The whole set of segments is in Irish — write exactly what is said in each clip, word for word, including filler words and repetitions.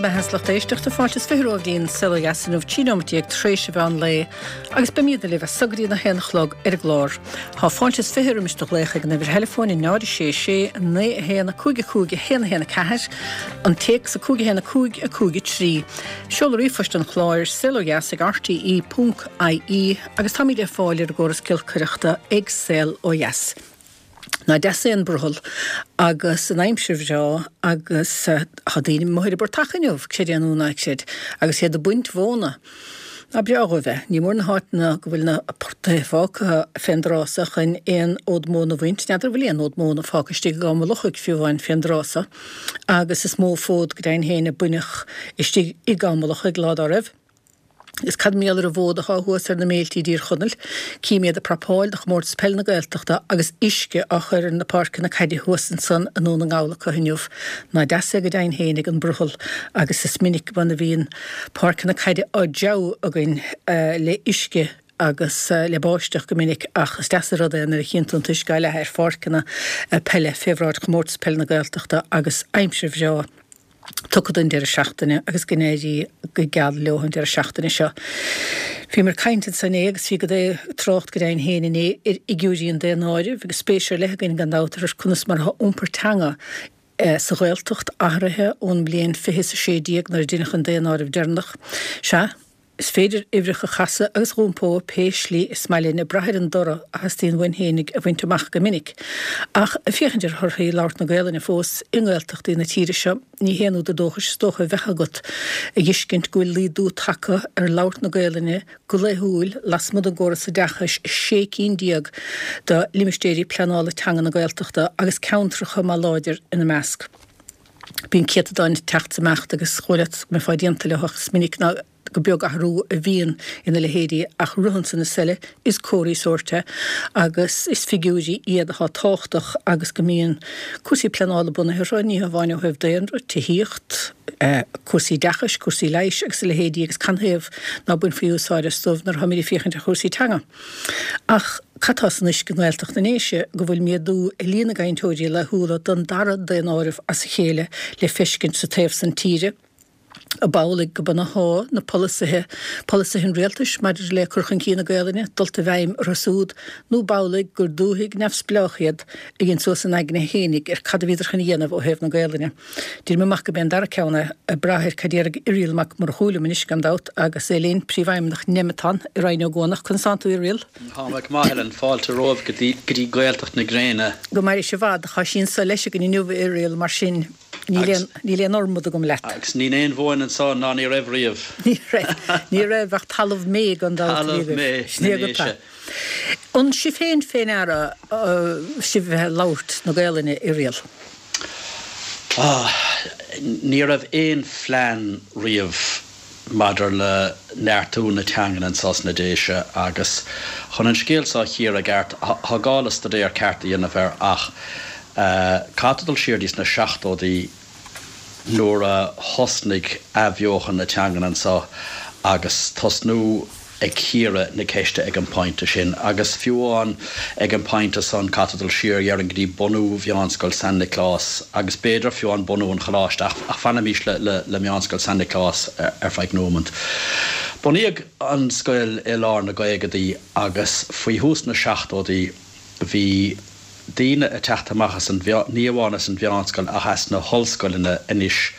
mbeatha lucht éisteachta fáilte is fiche romhaibh go dtí an Saol Ó Dheas inniu trí nóiméad déag tar éis an mheán lae agus beimid libh as so go dtí a haon a chlog ar an gclár. Tá fáilte is fiche roimis do ghlaoch ag an uimhir theileafóin a náid sé sé naoi a haon a cúig a cúig a haon a haon a ceathair, an téacs a cúig a haon a cúig a cúig a trí. Seoladh ríomhphoist an chláir saolodheas ag rte ponc ie agus táimid le fáil ar an gcóras giolcaireachta ag Saol Ó Dheas. Nach deas é an brothall agus an aimsir bhreá agus tá daoine amuigh ar an bportach inniu, creid é nó ná creid, agus iad ag baint mhóna. Nach breá dhóibh é. Ní mór na háiteanna go bhfuil na portaigh fágtha fén dtráth so chun aon fhód móna a bhaint. N'fheadar an bhfuil aon fhód móna fágtha istigh i gCom an Lochaigh fiú amháin fén dtráth so agus is mó fód go deimhin féin a baineadh istigh i gCom an Lochaigh lá dá raibh. Is cad mar gheall ar an bhfód atá thuas ar na méiltí i dTír Chonaill? Cím iad ag prapáil do Chomórtas Peile na Gaeltachta agus uisce á chur ar na páirceanna caide thuas ansan i nDún na nGall acu inniu. Nach deas é go deimhin féin ag an mbrothall agus is minic go a bhíonn páirceanna caide á dtreabhadh againn le uisce agus le báisteach go minic ach is deas an rud é nuair a chíonn tú an t-uisce á leathadh ar pháirceanna peile fé bhráid Chomórtas Peile na Gaeltachta agus aimsir bhreá tugtha don deireadh seachtaine agus go n-éirí go geal leo an deireadh seachtaine seo. Bhíomar ag caint ansan inné agus bhí go trácht go deimhin féin inné ar fhigiúirí an daonáirimh agus spéis ar leith againn gan dabht ar conas mar atá iompar teanga sa Ghaeltacht athraithe ón mbliain fiche is a sé déag nuair a deineadh an daonáireamh deireanach. Sea, is féidir uimhreacha a chasadh agus a dh'iompó pé slí is maith linn ag brath ar an dtoradh a theastaíonn uainn fhéinig a bhaint amach go minic. Ach ag féachaint ar thorthaí labhairt na Gaelainne fós i nGaeltachtaí na tíre seo, ní haon údar dóchais is dócha a bheadh agat a dh'fheiscint go bhfuil laghdú tagtha ar labhairt na Gaelainne go laethúil lasmuigh den gcóras oideachais i sé cinn déag de limistéirí pleanála teanga na Gaeltachta agus ceantracha maith láidir ina measc. Bíonn céatadáin ag teacht is ag imeacht agus chomh leat go mbeifeá déanta leo ach is minic ná go beag athrú a bhíonn ina leithéidí ach ritheann san is eile is comharthaí sóirt é agus is figiúirí iad atá tábhachtach agus go mbíonn cúrsaí pleanála bunaithe orthu, ní hamháin ó thaobh daonra, tithíocht, cúrsaí oideachais, cúrsaí leighis agus a leithéidí agus canathaobh ná bainfí úsáid astu nuair atáimid ag féachaint ar chúrsaí teanga. Ach cad tá san uisce i nGaeltacht na nDéise go bhfuil méadú i líon na gcainteoirí laethúla don dara daonáireamh as a chéile le feiscint sa taobh san tíre? Ab amhlaidh go mb'ionadh na polasaithe, polasaithe an rialtais maidir le cur chun cinn na Gaelainne, dulta i bhfeidhm orthu siúd, nó b'amhlaidh gur dúthaigh neamhspleách iad a dhein suas a n-aigne fhéinig ar cad a bhíodar chun a dhéanamh ó thaobh na Gaelainne. Deirim amach go b'é an dara ceann é, ag brath ar cad déarfaidh Irial Mac Murchú liom anois, gan dabht, agus é linn, Príomhfheidhmeannach Nemeton i Rinn Ó gCuanach. Conas tánn tú, Irial? Tá mé go maith, Helen. Fáilte romhaibh go dtí Gaeltacht na Gréine. Go maire sibh i bhfad. Tá sí anso leis againn inniu, a Irial, mar sin. Níl aon, níl aon fhormad agam leat. Agus níl aon mhóin anso ná ní raibh riamh. Ní raibh. Ní raibh ach talamh méith gan dabht a bhí Talamh agaibh. méith Sin na é agat nDéise. é. An sibh féin fé ndeara sibh a bheith ag labhairt na Gaelainne, Irial? Ah, ní raibh aon phlean riamh maidir le neartú na teangan anso sna Déise agus chun an scéal so a chíoradh i gceart, tá gá le staidéar ceart a dhéanamh air ach caithfidh tú dul siar dtí sna seachtóidí nuair a thosnaigh athbheochan na teangan anso agus tosnú ag cíoradh na ceiste ag an bpointe sin. Agus fiú amháin ag an bpointe san, caithfidh tú dul siar, dhéarfainn, go dtí bunú Mheánscoil San Nioclás agus b'fhéidir fiú amháin bunú an Choláiste, ach ach fanaimis le le le Meánscoil San Nioclás ar feadh nóimint. Bunaíodh an scoil i lár na gcaogadaí agus faoi thús na seachtóidí bhí daoine ag teacht amach as an, ní amháin as an mheánscoil ach as na hollscoileanna anois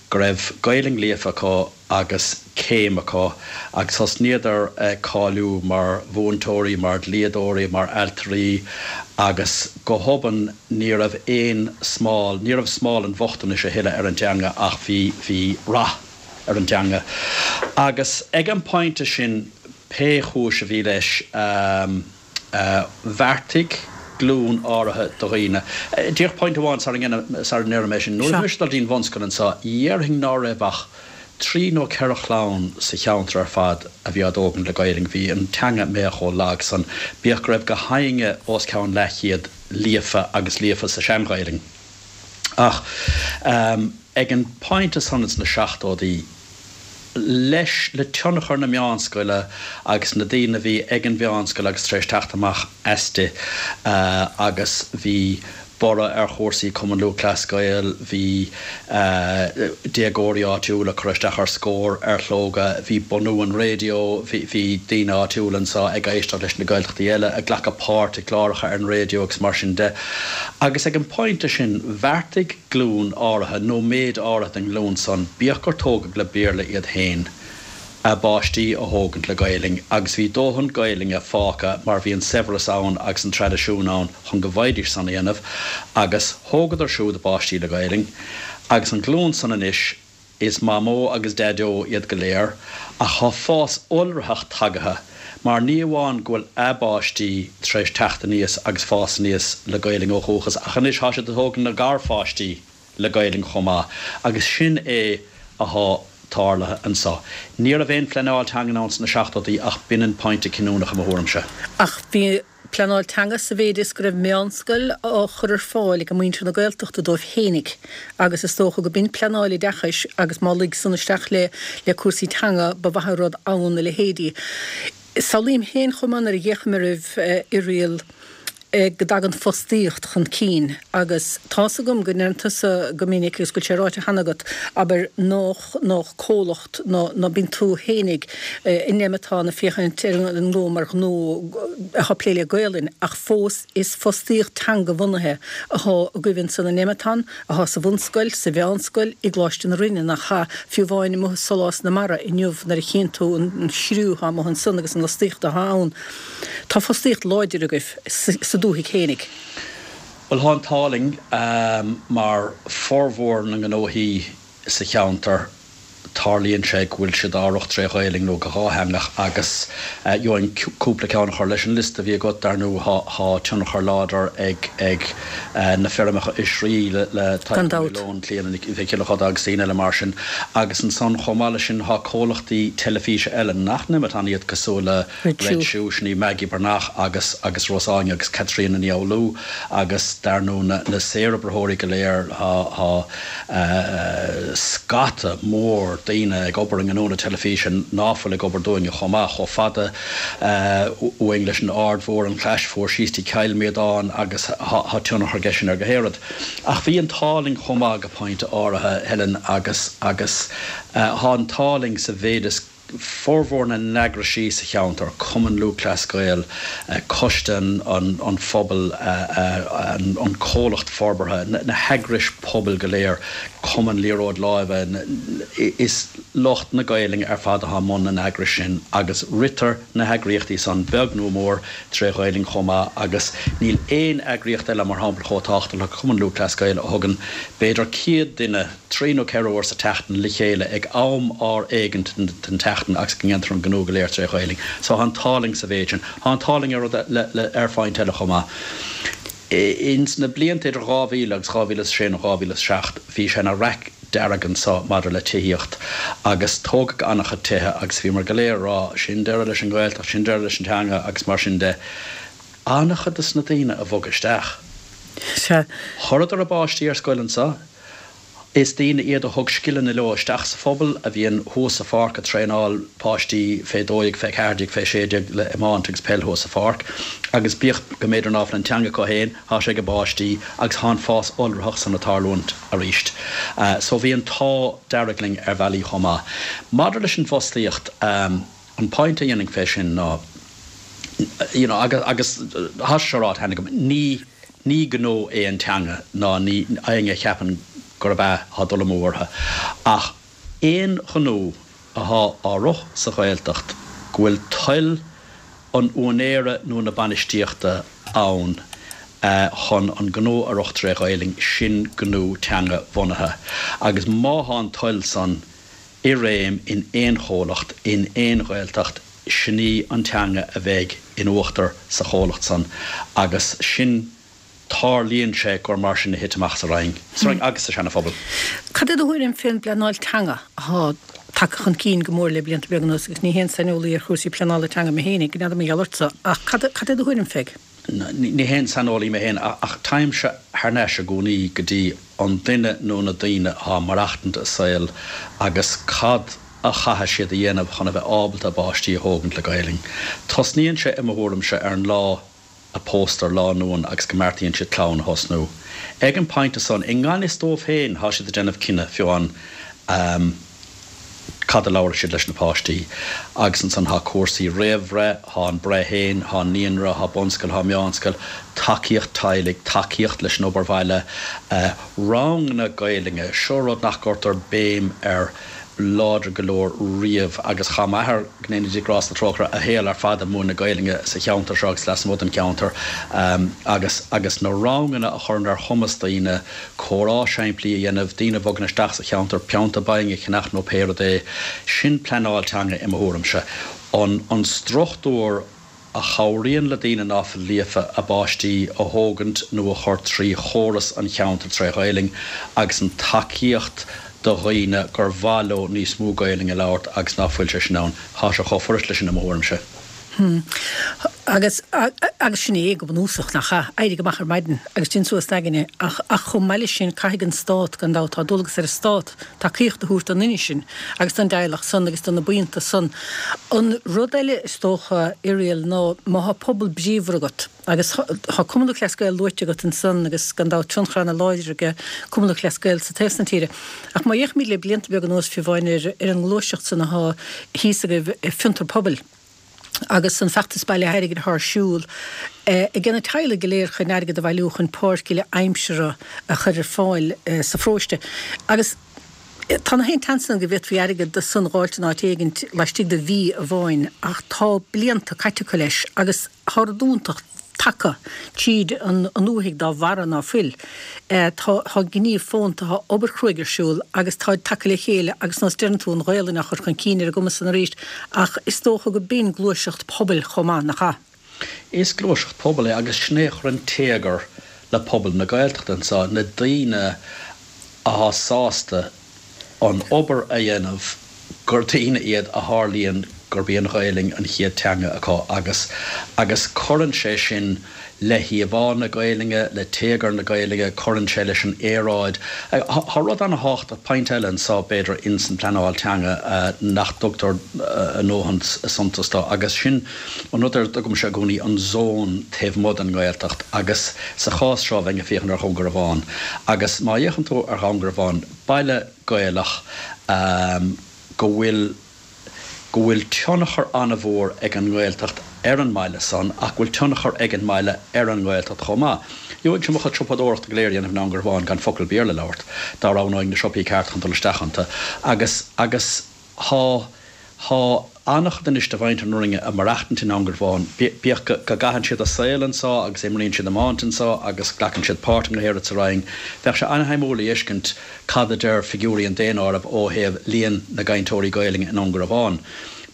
go raibh Gaelainn líofa acu agus céim acu agus thosnaíodar ag cáiliú mar mhúinteoirí, mar dhlíodóirí, mar ailtirí agus go hobann ní raibh aon smál, ní raibh smál an bhochtanais a thuilleadh ar an dteanga ach bhí, bhí rath ar an dteanga. Agus ag an bpointe sin, pé chúis a bhí leis, Bheartaigh glúin áirithe de dhaoine. Díreach pointe amháin sara ndeirim é sin. Nuair a bhí mise ag dul dtí'n bhunscoil anso, dhéarfainn ná raibh ach trí nó ceithre chlann sa cheantar ar fad a bhí á dtógaint le Gaelainn. Bhí an teanga méath chomh lag san, bíodh go raibh gach éinne os ceann leathchéad líofa agus líofa sa sean-Ghaelainn. Ach ag an bpointe san ins na seachtóidí, leis, le tionchar na meánscoile agus na daoine a bhí ag an mheánscoil agus tar éis teacht amach aisti agus bhí borradh ar chúrsaí Cumann Lúthchleas Gael, bhí déagóirí áitiúla ag cur isteach ar Scór, ar Shlógadh, bhí bunú an raidió, bhí daoine áitiúla anseo ag éisteacht leis na Gaeltachtaí eile, ag glacadh páirt i gcláracha ar an raidió agus mar sin de. Agus ag an bpointe sin, bheartaigh glúin áirithe, nó méid áirithe den nglúin san, bíodh gur tógadh le Béarla iad féin, a bpáistí a thógaint le Gaelainn agus bhí dóthain Gaelainne fágtha mar bhí an saibhreas ann agus an traidisiún ann chun go bhfaighidís san a dhéanamh agus thógadar siúd a bpáistí le Gaelainn agus an ghlúin san anois is mamó agus daideo iad go léir ach thá fás iolraitheach tagaithe mar ní amháin go bhfuil a bpáistí tar éis teacht aníos agus fás aníos le Gaelainn ó dhúchas ach anois thá siad ag tógaint a ngarpháistí le Gaelainn chomh maith agus sin é athá tarlaithe anso. Ní raibh aon phleanáil teangan ann sna seachtóidí ach b'in an pointe cinniúnach i mo thuairimse. Ach bhí pleanáil teanga sa mhéid is go raibh meánscoil á chur ar fáil ag muintir na Gaeltachta dóibh fhéinig agus is dócha go b'in pleanáil oideachais agus má luigh san isteach le le cúrsaí teanga ba mhaith an rud ann a leithéidí. Samhlaím féin chomh maith nuair a d'fhéachaim oraibh Irial go dtagann fostaíocht chun cinn agus tá's agam go ndeireann tusa go minic agus go bhfuil sé ráite cheana agat, abair, nách, nách comhlacht ná, ná bíonn tú fhéinig in Nemeton ag féachaint ar an ngnó mar ghnó atá ag plé le Gaolainn ach fós is fostaíocht teanga-bhunaithe athá agaibh ansan in Nemeton, athá sa bhunscoil, sa mheánscoil, i gColáiste na Rinne, nach ea, fiú amháin amuigh i Solás na Mara inniu nuair a chíonn tú an chriú athá amuigh ansan agus an fhostaíocht athá ann. Tá fostaíocht láidir agaibh sa dúthaigh fhéinig. Bhuel, thá an t-ádh linn, mar formhór na ngnóthaí sa cheantar, tarlaíonn sé go bhfuil siad á rith tré Ghaelainn nó go dhátheangach agus gheobhainn cúpla ceann a chur leis an liosta a bhí agat, dar ndóigh thá tionchar láidir ag ag na feirmeacha oisrí le le Gan Tadhg Ó dabht. Maoileoin, Clíona Nic Mhic Giolla Chuda agus daoine eile mar sin agus ansan chomh maith leis sin thá comhlachtaí teilifíse eile nach Nemeton iad cosúil le Red Red Shoe. Shoe, sin í Maggie Breathnach agus agus Ros Áine agus Caitríona Ní Fhoghlú agus dar ndóigh na na saoroibritheoirí go léir thá thá scata mór daoine ag obair i ngnó na teilifíse ná fuil ag obair dúinne chomh maith, chomh fada uainn leis an Aird Mhór, an Chlais Mhór, síos dtí Cill Mhíodáin agus thá tionchar aige sin ar gach aon rud. Ach bhí an t-ádh linn chomh maith go pointe áirithe, Helen, agus agus thá an t-ádh linn sa mhéid is formhór na n-eagraisí sa cheantar, Cumann Lúthchleas Gael, Coiste an Phobail, an Comhlacht Forbartha, na heagrais pobail go léir, Cumann Liathróid Láimhe, is lucht na Gaelainne ar fad atá i mbun na n-eagrais sin agus ritear na heagraíochtaí san, beag nó mór, tré Ghaelainn chomh maith agus níl aon eagraíocht eile, mar shampla, chomh tábhachtach le Cumann Lúthchleas Gael a thugann b'fhéidir céad duine, trí nó ceithre uair sa tseachtain le chéile ag am ár éigint den tseachtain agus go ndéantar an gnó go léir tré Ghaelainn. So thá an t-ádh linn sa mhéid sin. Thá an t-ádh linn ar rud le, le, ar phointe eile chomh maith. Ins na blianta idir dhá mhíle agus dhá mhíle is a sé nó dhá mhíle is seacht bhí sé ina raic dearg anso maidir le tithíocht agus tógadh an-chuid tithe agus bhíomar go léir ag rá sin deireadh leis an Ghaeltacht, sin deireadh leis an teanga agus mar sin de. An-chuid des na daoine a bhog isteach. Sea. Chuireadar a bpáistí ar scoil anso. Is daoine iad a thug scileanna leo isteach sa phobal, a bhíonn thuas sa pháirc ag traenáil páistí fé dó dhéag, fé ceathair déag, fé sé déag le iomáint agus peil thuas sa pháirc. Agus bíodh go mb'fhéidir ná fuil an teanga acu féin, thá sé ag a bpáistí agus thá an fás iolraitheach san ag tarlúint arís. So bhí an t-ádh dearg linn ar bhealaí chomh maith. Maidir leis an bhfostaíocht, an pointe a dhéanfainn fé sin ná, you know, agus, agus thá sé seo ráite cheana agam, ní, ní gnó é an teanga ná ní, éinne a cheapann gurb ea, thá dul amú orthu. Ach aon ghnó athá á rith sa Ghaeltacht go bhfuil toil an úinéara nó na bainistíochta ann chun an gnó a rith tré Ghaelainn, sin gnó teanga bhunaithe. Agus má thá an toil san i réim in aon chomhlacht, in aon Ghaeltacht, sin í an teanga a bheidh in uachtar sa chomhlacht san agus sin tarlaíonn sé gur mar sin a thit amach sa Rinn, sa Rinn agus sa Seana-Phobal. Cad é do thuairim fén bpleanáil teanga athá tagtha chun cinn go mór le blianta beaga anuas agus ní haon saineolaí ar chúrsaí pleanála teanga mé fhéinig, n'fheadar mar gheall ortsa, ach cad cad é do thuairim fé? Ní haon saineolaí mé féin ach téimse thar n-ais i gcónaí go dtí an duine nó na daoine atá ag maireachtaint a saol agus cad a chaithfidh siad a dhéanamh chun a bheith ábalta a bpáistí a thógaint le Gaelainn. Tosnaíonn sé i mo thuairimse ar an lá a póstar lánúin agus go mbeartaíonn siad clann a thosnú. Ag an bpointe san, i ngan fhios dóibh féin, thá siad ag déanamh cinneadh fiú amháin cad a labharfaidh siad leis na páistí. Agus ansan thá cúrsaí réamhbhreith, thá an breith féin, thá an naíonra, thá bunscoil, thá meánscoil, tacaíocht teaghlaigh, tacaíocht leis an obair bhaile, ranganna Gaelainne, seo rud nach gcuirtear béim air láidir go leor riamh agus chaith m'athair, go ndéana Dia grásta trócaire, a shaol ar fad ag múineadh Gaelainne sa cheantar seo agus lasmuigh den cheantar agus agus na ranganna a chuireann ar chumas daoine comhrá simplí a dhéanamh, daoine a bhogann isteach sa cheantar, pionta bainne a cheannach nó pé rud é, sin pleanáil teanga i mo thuairimse. An an struchtúr a chabhraíonn le daoine ná fuil líofa a bpáistí a thógaint nó a chur trí chóras an cheantair tré Ghaelainn agus an tacaíocht do dhaoine gur mhaith leo níos mó Gaelainn a labhairt agus ná fuil sé sin ann. Thá sé chomh furast leis sin i mo thuairimse. Agus, agus sin é go bunúsach, nach ea? Éirigh amach ar maidin agus déan suas d'aigne. Ach, ach chomh maith leis sin, caithfidh an Stát, gan dabht, tá dualgas ar an Stát tacaíocht a thabhairt don duine sin agus don dteaghlach san agus do na buíonta san. An rud eile, is dócha, Irial, ná má thá pobal bríomhar agat, agus thá Cumann Lúthchleas Gael luaite agat ansan agus gan dabht tionchar ana-láidir aige Cumann Lúthchleas Gael sa taobh san tíre. Ach má fhéachaimid le blianta beaga anuas fiú amháin ar ar an ngluaiseacht san athá thíos agaibh, Fiontar Pobail, agus an feachtas bailithe airgid athá ar siúl ag na teaghlaigh go léir chun airgead a bhailiú chun páirc uile aimsire a chur ar fáil sa pharóiste. Agus tá na haon tseans ann go bhféadfaí airgead san a dh'fháilt in áit éigint laistigh de mhí amháin ach tá blianta caite acu leis agus thá rud iontach tagtha tríd an ndúthaigh dá bharra ná fuil. Tá tá gníomh fónta, tá obair chruaidh ar siúl agus táid tagtha le chéile agus nós deireann tú an Ghaelainn á chur chun cinn ar an gcuma san arís ach is dócha go b'in gluaiseacht pobail chomh maith, nach ea? Is gluaiseacht pobail é agus sin é a chuireann téagar le pobal na Gaeltachta anseo, na daoine athá sásta an obair a dhéanamh gur daoine iad a tharlaíonn gurb í an Ghaelainn an chéad teanga acu agus agus cuireann sé sin le híomhá na Gaelainne, le téagar na Gaelainne, cuireann sé leis an aeráid. Tá rud ana-thábhachtach, pointe eile anseo b'fhéidir ins an pleanáil teanga nach dtugtar a ndóthain suntas dó agus sin an rud ar a dtugaimse i gcónaí an zón taobh amuigh den nGaeltacht agus sa chás seo bheinn ag féachaint ar Dhún Garbhán agus má fhéachann tú ar Dhún Garbhán, baile Gaelach go bhfuil go bhfuil tionchar an-mhór ag an nGaeltacht ar an mbaile san ach go bhfuil tionchar ag an mbaile ar an nGaeltacht chomh maith. Gheobhainnse mo chuid siopadóireachta go léir a dhéanamh i nDún Garbhán gan focal Béarla a labhairt, dá roghnóinn na siopaí cearta chun dul isteach iontu. Agus, agus thá, thá an-chuid anois de mhuintir na Rinne ag maireachtaint i nDún Garbhán, bíodh go gcaitheann siad a saol anseo agus imríonn siad iomáint anseo agus glacann siad páirt i ngach rud sa Rinn. Bheadh sé an-shuimiúil a fheiscint cad a deir figiúirí an daonáirimh ó thaobh líon na gcainteoirí Gaelainne i nDún Garbhán.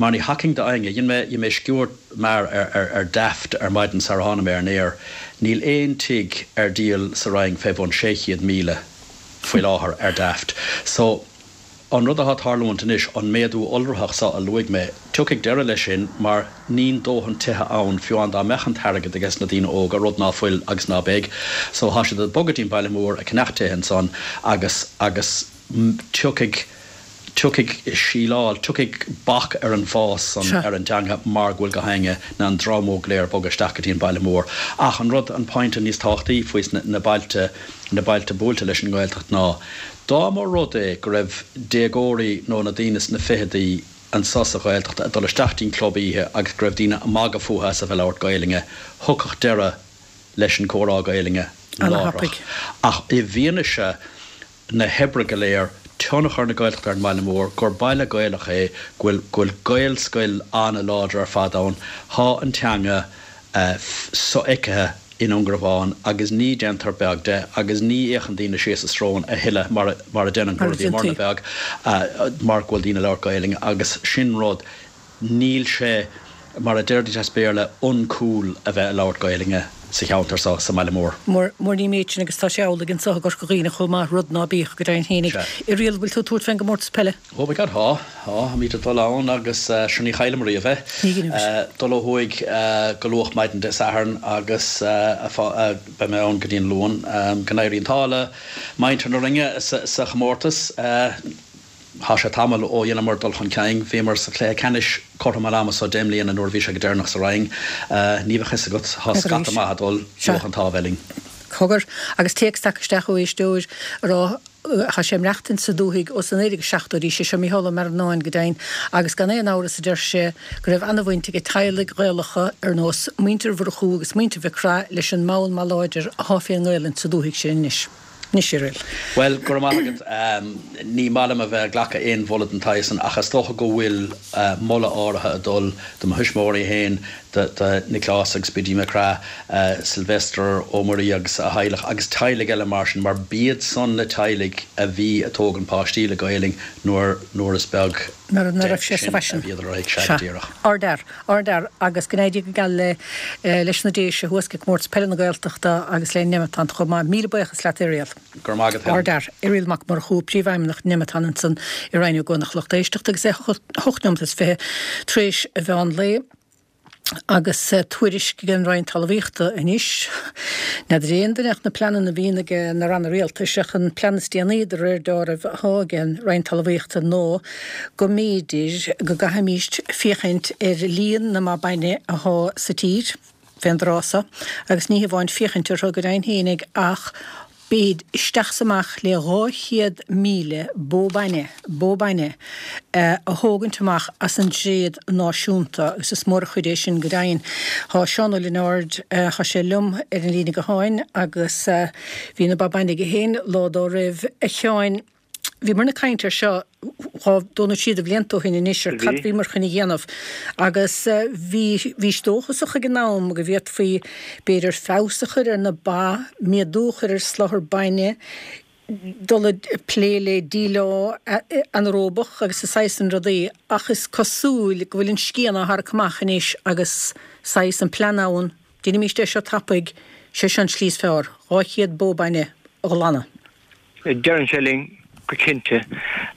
Mar ní thacainn d'éinne. Dhein mé, dhein mé sciuird mear ar, ar, ar Daft ar maidin sar a tháinig mé ar an aer. Níl aon tigh ar díol sa Rinn fé bhun sé chéad míle faoi láthair ar Daft. So. An rud atá ag tarlúint anois, an méadú iolraitheach seo a luaigh mé, tiocfaidh deireadh leis sin mar níl dóthain tithe ann fiú amháin dá mbeadh an t-airgead ages na daoine óga, rud ná fuil agus ná beidh. So thá siad ag bogadh dtí'n baile mór ag ceannach tithe ansan agus, agus tiocfaidh, tiocfaidh síleáil, tiocfaidh bac ar an bhfás san ar an dteanga mar go bhfuil gach éinne, na an dream óg go léir ag bogadh isteach go dtí an baile mór. Ach an rud, an pointe níos tábhachtaí faoi na bailte, na bailte buailte leis an nGaeltacht ná, Dá mba rud é go raibh déagóirí nó na daoine sna ficheadaí anso sa Ghaeltacht ag dul isteach dtí'n club oíche agus go raibh daoine ag magadh fúthu as a bheith ag labhairt Gaelainne, thiocfadh deireadh leis an comhrá Gaelainne láithreach. Ach i bhfianaise na hoibre go léir, tionchar na Gaeltachta ar an mbaile mór, gur baile Gaelach é, go bhfuil go bhfuil Gaelscoil an-láidir ar fad ann, thá an teanga sofheicthe i nDún Garbhán agus ní déantar beag de agus ní fhéachann daoine síos a srón a thuilleadh mar a mar a déanann Mar a rudaí mar na déantaí. beag mar go bhfuil daoine ag labhairt Gaelainne agus sin rud níl sé mar a déarfaidís as Béarla uncool a bheith ag labhairt Gaelainne sa cheantar seo sa mbaile mór. Mar mar ní méid sin agus tá sé amhlaidh anso i gCorca Dhuibhne chomh maith rud ná bíodh go deimhin fhéinig. Sea. Irial, bhfuil tú ag tabhairt fén gcomórtas peile? Oh my God, thá, thá, táimid ag dul ann agus sure ní chaillim riamh é. Ní ghinimid. Dul ó thuaidh go luath maidin Dé Sathairn agus beidh mé ann go dtí an Luan. Go n-éirí an t-ádh le muintir na Rinne sa chomórtas. Thá sé tamall ó dheineamar dul chun cinn. Bhíomar sa chluiche ceannais cothrom an ama so deich mbliana nuair a bhí sé go deireanach sa Rinn. Ní bheadh fhios agat, thá scata maith ag dul, bheadh an t-ádh linn. Cogar, agus téacs tagtha isteach ó éisteoir a rá, thá sé ag maireachtaint sa dúthaigh ó sna naoi déag seachtóidí, sé seo Mícheál Ó Mearnáin go deimhin, agus gan aon amhras a deir sé go raibh ana-bhaint ag teaghlaigh Ghaelacha ar nós muintir Mhurchú agus muintir Mhic Craith leis an mbonn maith láidir athá fén nGaelainn sa dúthaigh sin anois. Anois, a Irial. Bhuel, go raibh maith agat. Ní maith liom a bheith ag glacadh aon mholadh den tsaghas san ach is dócha go bhfuil moladh áirithe ag dul do mo thuismitheoirí féin, do Nioclás agus Biddy Mac Craith, Sylvester Ó Muirí agus a theaghlach agus teaghlaigh eile mar sin mar b'iad san na teaghlaigh a bhí ag tógaint páistí le Gaelainn nuair nuair is beag Nuair a raibh de sé sa sin a bhfaisean. bhíodar ag, sea, Sea. go díreach. Ardfhear. Ardfhear agus go n-éirí go geal le leis na Déise thuas ag Comórtas Peile na Gaeltachta agus le Nemeton chomh maith. Míle buíochas leat Irial. Go raibh maith agat Helen. Ardfhear. Irial Mac Murchú, Príomhfheidhmeannach Nemeton ansan i Rinn Ó gCuanach. Lucht éisteachta agus é hocht nóiméad is fiche tar éis a mheán lae. Agus tuairisc ag an Roinn Talmhaíochta anois, n'fheadar aon duine ach na pleananna a bhíonn ag na ranna rialtais ach an plean is déanaí de réir dealraimh athá ag an Roinn Talmhaíochta ná go mb'fhéidir go gcaithfimíst féachaint ar líon na mba bainne athá sa tír fén dtráth so agus ní hamháin féachaint orthu go deimhin fhéinig ach b'fhéidir isteach 's amach le dhá chéad míle bó bainne, bó bainne, a thógaint amach as an dtréad náisiúnta agus is mór an chuid é sin go deimhin. Thá Seán Ó Lionáird, thá sé liom ar an líne gutháin agus bhí na ba bainne aige féin lá dá raibh. A Sheáin, Bhíomarna ag caint air seo dhá, dó nó trí de bhlianta ó shin anois ar cad bhíomar chun a dhéanamh agus bhí, bhís dóchasach ag an am go bhféadfaí b'fhéidir feabhas a chur ar na ba, méadú a chur ar soláthar bainne, dul ag plé le díleá anaeróbach agus a saghas san rudaí ach is cosúil go bhfuil an scian á tharrac amach anois agus saghas an plean ann, déanaimíst é seo tapaidh, sé seo an tslí is fearr, dhá chéad bó bainne a ghlanadh. Deireann sé linn go cinnte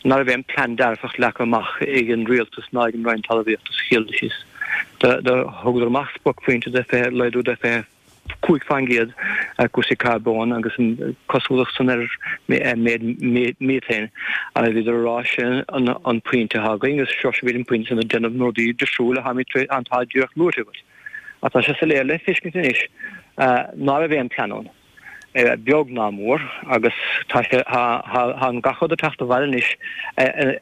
ná raibh aon plean dearfach leagtha amach ag an Rialtas ná ag an Roinn Talmhaíochta sa chéad dul síos. Do thugadar amach spriocphointe de fiche, laghdú de fiche cúig faoin gcéad ar cúrsaí carbóin agus an cosúlacht san ar méid miotain agus bhíodar ag rá sin an pointe atá againn agus sroisfimid an pointe san ag déanamh na rudaí difriúla atá díreach luaite agat. Ach tá sé soiléir le feiscint anois ná raibh aon plean ann. beag ná mór, agus tá sé, tá an gach rud ag teacht abhaile anois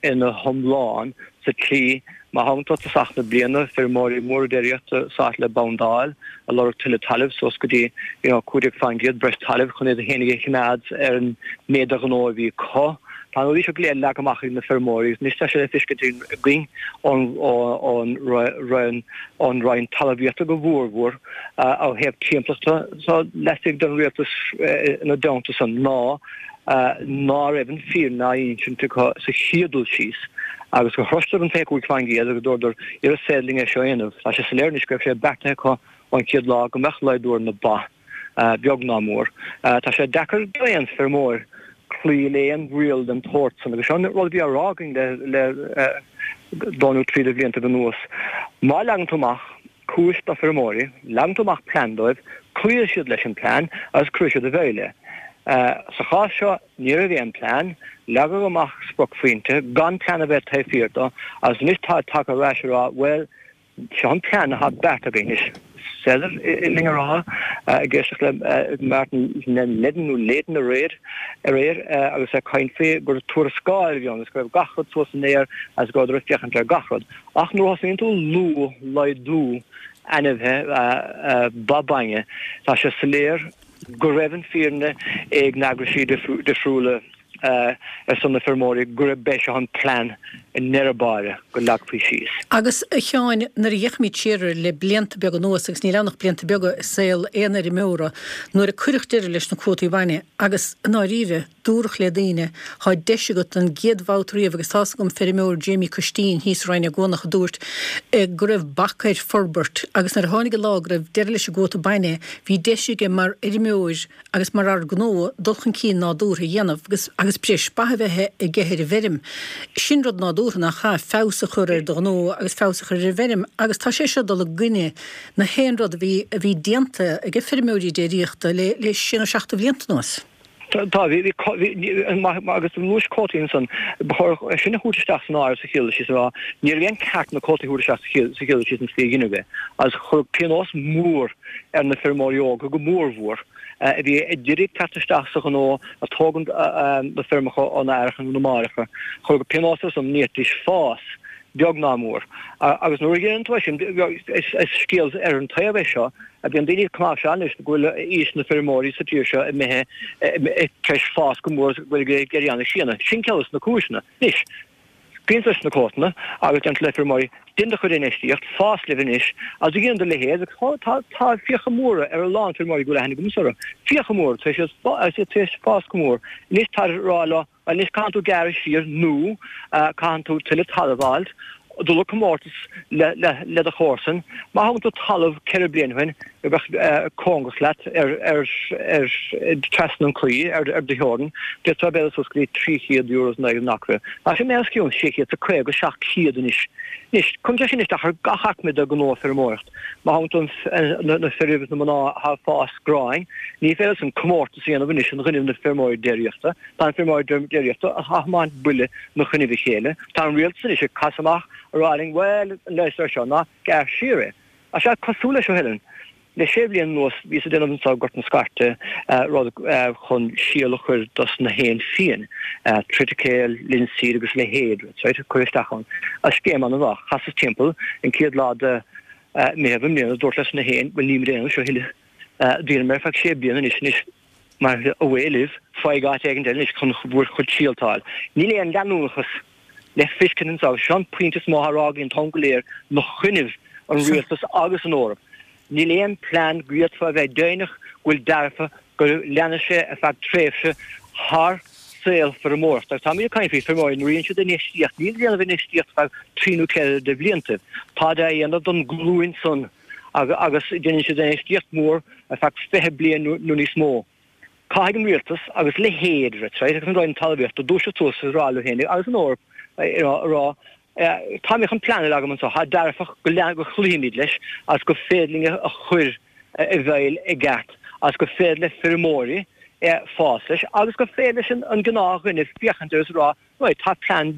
ina hiomlán sa tslí, má thagann tú tosach na bliana, feirmeoirí móra déiríochta sáite le bondáil, ag lorg tuilleadh talaimh, suas go dtí you know cúig déag faoin gcéad breis talaimh chun iad féinig a choimeád ar an méid de ghnó a bhí acu. Tá na rudaí seo go léir leagtha amach ag na feirmeoirí agus anois tá sé le feiscint againn ón ón Roinn Talmhaíochta go mhórmhór ó thaobh timpeallachta so laistigh den rialtas ina dteannta san ná ná raibh an fírinne á insint acu sa chéad dul síos agus gur shroiseadar an fiche cúig faoin gcéad agus dúradar is féidir linn é seo a dhéanamh. Tá sé soiléir anois go raibh sé beartaithe acu ón chéad lá go mbeadh laghdú ar na ba, beag ná mór. Tá sé deacair d'aon feirmeoir cloí le aon riail den tsórt san agus seo an rud a bhí á rá againn le dó nó trí de bhliantaibh anuas. Má leagann tú amach cúis do feirmeoirí, leagann tú amach plean dóibh, cloífidh siad leis an plean agus cuirfidh siad i bhfeidhm é. Sa chás seo ní raibh aon plean, leagadh amach spriocphointe gan plean a bheith taobh thiar dó agus anois táid tagtha ar ais ag rá bhuel, Seo an plean atá beartaithe againn. Is féidir linn a rá, ag éisteacht le Martin Leddin nó Leyden aréir, aréir agus é ag caint faoi gur tuarascáil a bhí ann agus go raibh gach rud suas san aer agus go rabhadar ag féachaint ar gach rud. Ach nuair a thosnaíonn tú ag lua laghdú ainmhithe ba bainne, tá sé soiléir go raibh an fírinne ag na heagraisí difriúla ar son na feirmeoirí gurb é seo an plean i ndeireadh báire go leagfaí síos. Agus, a Sheáin, nuair a fhéachaimid siar air le blianta beaga anuas, agus níl ann ach blianta beaga i saol aon fheirmeora, nuair a cuireadh deireadh leis na cuótaí bainne, agus i ndáiríre, dúradh le daoine, thá deis agat don gcéad bhabhta riamh, agus tá's agam feirmeoir Jamie Costín thíos i Rinn Ó gCuanach a dúirt go raibh bac air forbairt, agus nuair a tháinig an lá go raibh deireadh leis an gcuóta bainne, bhí deis aige mar fheirmeoir agus mar fhear gnó dul chun cinn nádúrtha a dhéanamh agus agus breis ba a bheith aige ar an bhfeirm. Sin rud nádúrtha nach ea, feabhas a chur ar do ghnó agus feabhas a chur ar an bhfeirm agus tá sé seo ag dul i gcoinne na haon rud a bhí a bhí déanta ag feirmeoirí déiríochta le le sé nó seacht de bhlianta anuas. Tá, bhí, bhí, agus luais cuótaí ansan, ba chóir é sin a thabhairt isteach san áireamh sa chéad dul síos a rá, ní raibh aon ceart na cuótaí a thabhairt isteach sa chéad dul síos an tslí a dheineadh é, agus chuireadh pionós mór ar na feirmeoirí óga go mórmhór a bhí ag iarraidh teacht isteach sa ghnó ag tógaint na feirmeacha óna aithreacha nó na máithreacha, chuireadh pionós orthu san, ní fhéadfaidís fás, beag ná mór. Agus nuair a dhéanann tú é sin, is scéal ar an taobh é seo, bíonn daoine ag cnáimhseáil anois go bhfuil aois na feirmeoirí sa tír seo imithe tar éis fás go mór agus go bhfuil ag éirí ana-shine. Sin ceann de na cúiseanna. Anois, scaoileann tú leis na cuótanna agus deireann tú le feirmeoirí, déan do chuid infheistíocht, fás libh anois, agus a dhéanann do leithéid, agus tá tá fiacha móra ar a lán feirmeoirí go bhfuil aithne agamsa orthu, fiacha móra, tar éis fás go mór. Anois tá ag rá leo, Anois caitheann tú gearradh siar nó caitheann tú tuilleadh talaimh a fháilt, dul ag comórtas le do chomharsain. Má thógann tú talamh ceithre bliana ó shin a bheadh cóngarach leat ar trasna an claí ar do theorainn, d'fhéadfá b'fhéidir suas go dtí trí chéad euro in aghaidh an acra. Tá sé imithe os cionn sé chéad is caoga, seacht chéad anois. Anois, cuireann sé sin isteach ar gach aicme de ghnó feirmeoireacht. Má thógann tú na fir agus na mná atá ag fás gráin, ní féidir leosan comórtas a dhéanamh anois in choinnibh na feirmeoirí déiríochta. Tá na feirmeoirí déiríochta ag tiomáint buille 'na choinnibh a chéile. Tá an rialtas anois ag casadh amach ag rá linn, bhuel, an leigheas air seo ná gearr siar é. Tá sé cosúil leis seo, Helen. Le sé bliana anuas bhíos ag déanamh anseo i nGort na Scairte rud chun síol a chur dos na héin fiain, triticale, linseed agus a leithéid, right, cuir isteach ann. Agus scéim an-mhaith. Chasas timpeall an chéad lá de Mheitheamh i mbliana, dúrt leis na héin, bhuel níl mé ag déanamh seo a thuilleadh. Dheineamar ar feadh sé bliana anois, anois mar away libh, faigh áit éigin eile anois chun bhur chuid síolta a fháil. Níl aon leanúnachas le feiscint anseo agus seo an pointe is mó atá á rá againn an t-am go léir 'na choinnibh an rialtas agus an Eoraip. Níl aon plean go bhféadfá a bheith deimhneach go bhfuil dearfa go leanfaidh sé ar feadh tréimhse thar saol feirmeoireachta. Agus táimid ag caint faoi feirmeoirí nuair a dhéanann siad infheistíocht, níl ag déanamh infheistíocht feadh trí nó ceithre de bhlianta. Táid á dhéanamh don ghlúin san agus déanann siad infheistíocht mhór ar feadh fiche bliain nó níos mó. Caithfidh an rialtas agus leithéid right agus an Roinn Talmhaíochta dúiseacht suas agus rá leo féin agus an Eoraip a rá Táimid chun plean a leagan anseo atá dearfach go go gcloífimid leis agus gur féidir linn a chur i bhfeighil i gceart agus gur féidir le feirmeoirí fás leis agus gur féidir leis an gnáthdhuine féachaint air agus a rá right tá plean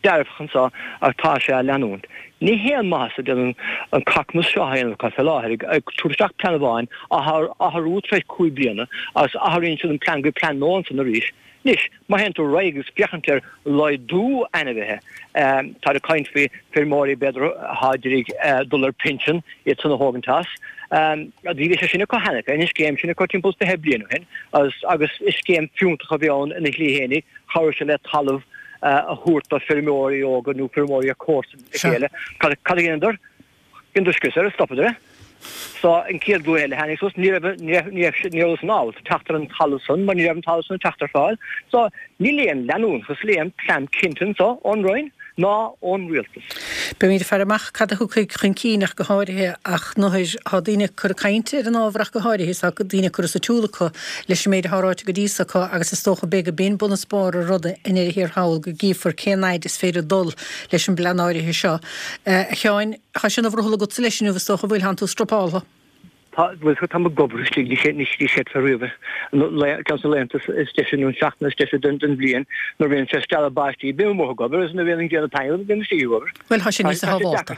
dearfach anseo agus tá sé á leanúint. Ní haon maitheas a dhéanann an cacmas seo a dhéanamh acu fé láthair ag tabhairt isteach plean amháin á athrú tar éis cúig bliana agus athraíonn siad an plean go plean nua ansan arís. Anois, má théann tú ar aghaidh agus féachaint ar laghdú ainmhithe, táid ag caint faoi feirmeoirí b'fhéidir atá ag iarraidh dul ar pinsean, iad san a thógaint as. Bhí sé sin acu cheana féin, an scéim sin acu timpeall fiche bliain ó shin agus is scéim fiúntach a bhí ann ina shlí fhéinig, chabhraigh sé le talamh a thabhairt do feirmeoirí óga nó feirmeoirí ar comharsain a chéile. Cad a dheineadar? Dheineadar scrios air, stopadar é. So, an chéad ghlúin eile a tháinig suas, ní raibh, ní raibh, ní raibh, ní rabhas in ábalta teacht ar an talamh san mar ní raibh an talamh san ag teacht ar fáil. So, níl aon leanúnachas, níl aon plean cinnte anso ón Roinn ná ón Rialtas. Beimid ag faire amach cad a thiocfaidh chun cinn ach go háirithe ach nuair atá daoine ag cur cainte ar an ábhar ach go háirithe is tá daoine ag cur as a tsiúl acu leis an méid atá ráite go dtí so acu agus is dócha beidh go b'in bun is barr an ruda i ndeireadh thiar thall go gcífear cén fhaid is féidir dul leis an bplean áirithe seo. A Sheáin, Tá sé ina bhrothall agatsa leis inniu is dócha, bhfuil, thánn tú struppáltha. Tá, bhuel, táim ag obair istigh, ní ní chreidfeá riamh é. Ceann de na laethanta is deise nó an seachtain is deise den den bhliain nuair a bhíonn sé stealladh báistí, bím amuigh ag obair agus nuair a bhíonn an ghrian ag taitneamh, bím istigh ag obair. Bhuel, tá sé níos sábhálta.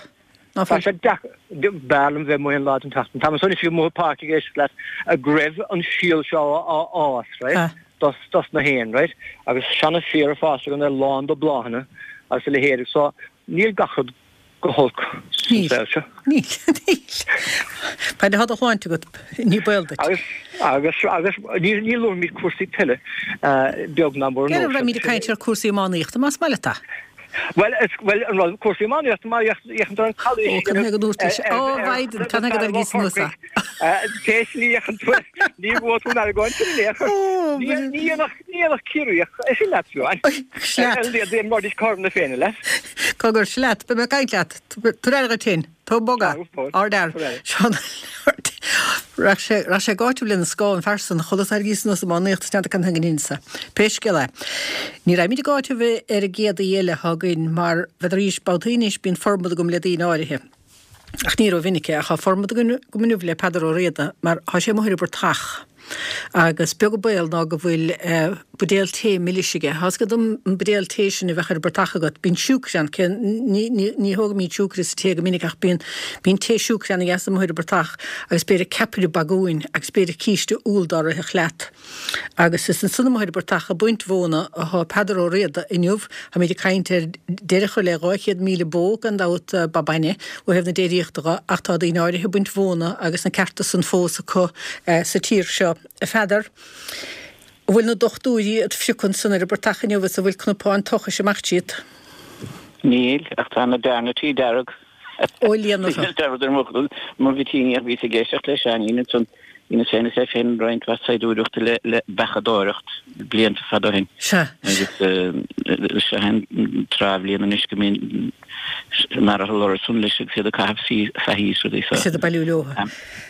Ná Tá sé deacair, b'fhearr liom bheith amuigh aon lá den tseachtain. Táim ansan istigh amuigh i bpáirc ag éisteacht leat go raibh an síol seo á fhás, right, dos dos na héin, right, agus seana-féar ag fás againn ar lán de bláthanna agus a leithéid. So, níl gach rud go holc sa Níl. saol seo. Níl. Níl. Fad atá do shláinte agat, ní baol duit. Agus, agus, agus ní, ní luafaimid cúrsaí peile, beag ná mór Cé go raibh muid ag caint ar chúrsaí iománaíochta, más maith leat é. Bhuel, is, bhuel, an rud, cúrsaí iománaíochta, má fhéachann tú ar an calaois Ó, cad chuige go ndúirt tú sin? Ó, Mhaighdean, cad chuige go dtarraingís anuas é? Pé slí a fhéachann tú air, ní bhuafaidh tú an argóint sin in aon chor. Ní, ní dhéanfadh, ní dhéanfadh Ciarraíoch é sin leat, Siobhán. Sleat. Ar a laghad, imreoidís cothrom na Féinne leat. Cogar, sleat, beidh mé ag caint leat. Tabhair aire duit féin. Tóg bog é. Ardfhear. Seán Raghadh sé, raghadh sé ag áiteamh lena scáth an fear san, chuala tarraingís anuas iománaíocht is n'fheadar cén chuige insa. Pé scéal é. Ní raghaimid ag áiteamh ar an gcéad aoi eile atá againn mar b'fhéidir arís babhtaí anois bíonn formad agam le daoine áirithe. Ach ní rómhinic é, ach tá formad agam inniu le Peadar Ó Riada mar tá sé amuigh ar an bportach. Agus beag an baol ná go bhfuil buidéal tae milis aige. Tá 's agat an buidéal tae sin a bheadh ar an bportach agat, bíonn siúcra ann, cé ní ní thógaimid siúcra sa tae go minic ach bíonn bíonn tae siúcra ana-dheas amuigh ar an bportach agus b'fhéidir ceapaire bagúin agus b'fhéidir císte úll dá rithfeadh leat. Agus is ansan amuigh ar an bportach ag baint mhóna athá Peadar Ó Riada inniu. Táimid ag caint ar deireadh a chur le dhá chéad míle bó gan dabht ba bainne ó thaobh na déiríochta dho ach tá daoine áirithe ag baint mhóna agus na cearta san fós acu sa tír seo. A Pheadair, an bhfuil na dochtúirí id phriocadh ansan ar an bportach inniu is an bhfuil cnapáin tochais ag imeacht tríot? Níl, ach tá na dearnataí dearg. Ó líon orthu. Dearmad ar mo mhitíní ach bhíos ag éisteacht le Seáinín ansan. Bhíos féin is é féin roinnt mhaith saighdiúireachta le le beachadóireacht blianta fada ó shin. Sea. Agus seo é an tráth bhliain anois go mbíonn an lorra san leis agus iad ag caitheamh saithí is rudaí so. Is iad ag bailiú leo.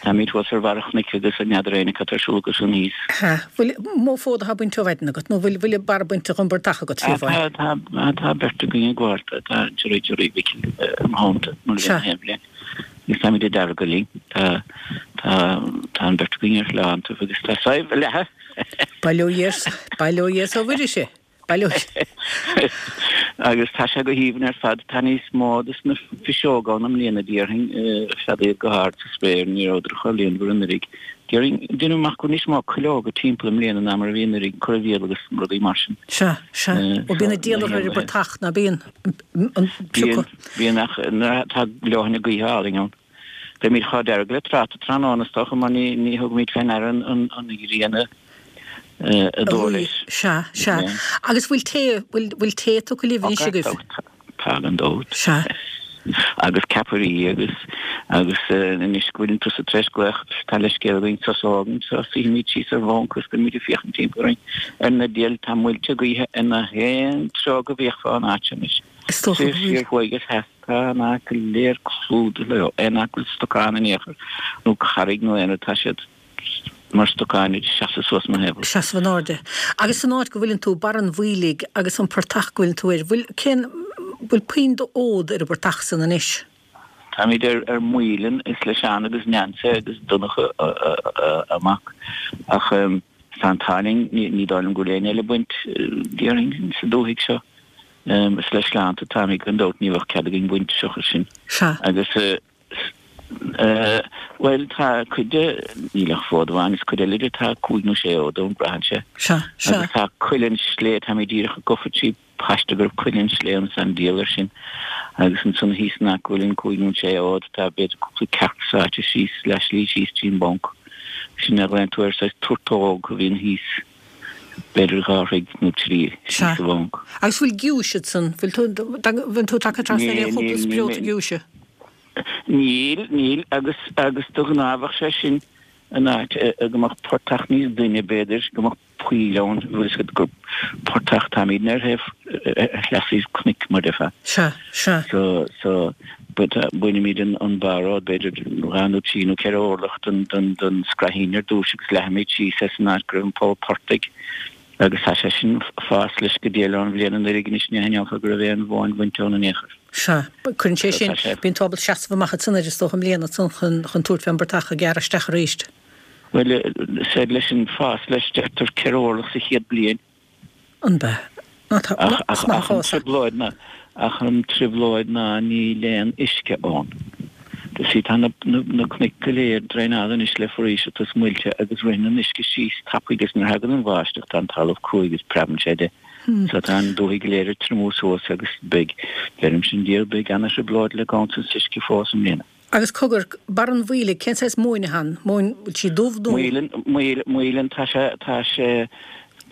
Táimid thuas ar bharr an chnoic agus n'fheadar éinne cad tá ar siúl acu san thíos. Sea. Bhfuil mó fód atá bainte ó mhaidin agat nó bhfuil bhfuil barra bainte dhon bportach agat fiú amháin? Tá tá tá beirt againn ag gabháil tá Jerry Jerry Mhicil i mo theannta nuair a bhíonn aon bhliain. Agus táimid ag deargadh linn. Tá tá tá an bheirt againn ar shláinte agus tá sadhbh ag leathadh. Bail ó Dhia bail ó Dhia is ó Mhuire sé. Bail ó Agus tá sé go haoibhinn ar fad. Tá níos mó dos na fuiseoga ann i mbliana déarfainn, feadh iad go hard sa spéir, ní rabhadar chomh líonmhar anuraidh. Déarfainn, deinim amach go bhfuil níos mó cuileoga timpeall i mbliana ná mar a bhí anuraidh, corraimhíol agus rudaí mar sin. Sea, sea. Ó bíonn an diabhal orthu ar an bportach, ná bíonn? An Bíonn, bíonn ach nuair atá leoithne gaoithe álainn ann. Beimid chomh dearg le tráta tráthnóna is dócha mar ní ní thugaimid fé ndeara an an ghrian a a dó leis. Sea, sea. Agus bhfuil tae, bhfuil, bhfuil tae tugtha libh anois agaibh? Tá, gan dabht. Sea. Agus ceapairí agus, agus anois go bhfuileann tusa tar éis glaoch, tá leithscéal againn sos a fhágaint, so suífimid síos ar bhanc agus beimid ag féachaint timpeall orainn ar na diabhail, tá muilte gaoithe i ngach aon treo go bhféachfá an áit seo anois. Is dócha go Soir, bhfuil. siar, thuaidh is theas, tá an áit go léir clúdaithe leo, aon áit go bhfuil stocán in aon chor nó carraig nó aon rud, tá siad mar stocáin ag seasamh suas mo thaobh. Seasamh in airde. Agus san áit go bhfuileann tú, Barr an Mhaoiligh agus an portach go bhfuileann tú air, bhfuil, cén, bhfuil puinn d'fhód ar an bportach san anois? Táimid ar, ar Maoileann, is le Seán agus Neansaí agus Donncha a mac. Ach tá an t-ádh linn, ní, ní dóigh liom go bhfuil éinne eile ag baint, déarfainn, sa dúthaigh seo. Is le Sleánta atáimid gan dabht, ní bheadh cead againn baint seachas sin. Sea. Agus. Bhuel, tá cuid de, níl ach fód amháin, is cuid eile de, tá cúig nó sé fhód ann, braitheann sé. Sea, sea. Agus tá Coill an tSlé, táimid díreach ag gabháil trí paiste go raibh Coill an tSlé ann, is an diabhal air sin. Agus ansan thíos in aice go bhfuil an cúig nó an sé fhód, tá b'fhéidir cúpla cearc sáite síos, leath slí síos trí'n bponc. Sin a ghlaonn tú air, saghas turtóg a bhíonn thíos. B'fhéidir dhá throigh nó trí síos Sea. sa bhonc. Agus bhfuil giúis ansan? Bhfuil tú, bhfuil tú tagtha trasna ar Níl, aon chúpla níl, níl spreota mé. giúise? Níl, níl, agus, agus de ghnáth bheadh sé sin in áit go mbeadh portach níos doimhne b'fhéidir, go mbeadh poill ann, bhfuil fhios agat gur portach, táimidne ar thaobh, ar shleasaobh cnoic mar déarfá. Sea, sea. So, so, bainimid an, an barr, b'fhéidir dhá nó trí nó ceithre orlach den, den, den scraithín ar dtúis agus leathaimid síos é san áit go raibh an poll portaigh agus tá sé sin ag fás leis go diail ón bhliain anuraidh anois ní aithneofá go raibh aon mhóin bhainte ann in aon chor. Sea, cuireann sé So sin, tá sé. bíonn tú ábalta seasamh amach ansan air is dócha i mbliana ansan chun, chun tabhairt fén bportach a ghearradh isteach arís. Bhuel, said leis an fás leis deirtear ceithre orlach sa chéad bliain. An b'ea? Ná tá, Ach, is ach, maith an ach an fás é. trioblóid ná, ach an trioblóid ná níl aon uisce ann. You see, tá na, na, na cnoic go léir draenáilte anois le foraoiseacht is muilte agus ritheann an uisce síos tapaidh agus nuair a thagann an bháisteach tá an talamh cruaidh agus preabann sé de. So tá an dúthaigh go léir ag triomú suas agus beidh, deirimse an diabhal, beidh ana-thrioblóid le gabhaint an uisce fós i mbliana. Agus cogar, Barr an Mhaoiligh, cén saghas móin atá ann? Móin, bhfuil sí dubh nó? Maoileann, maoil, maoileann, tá sé, tá sé,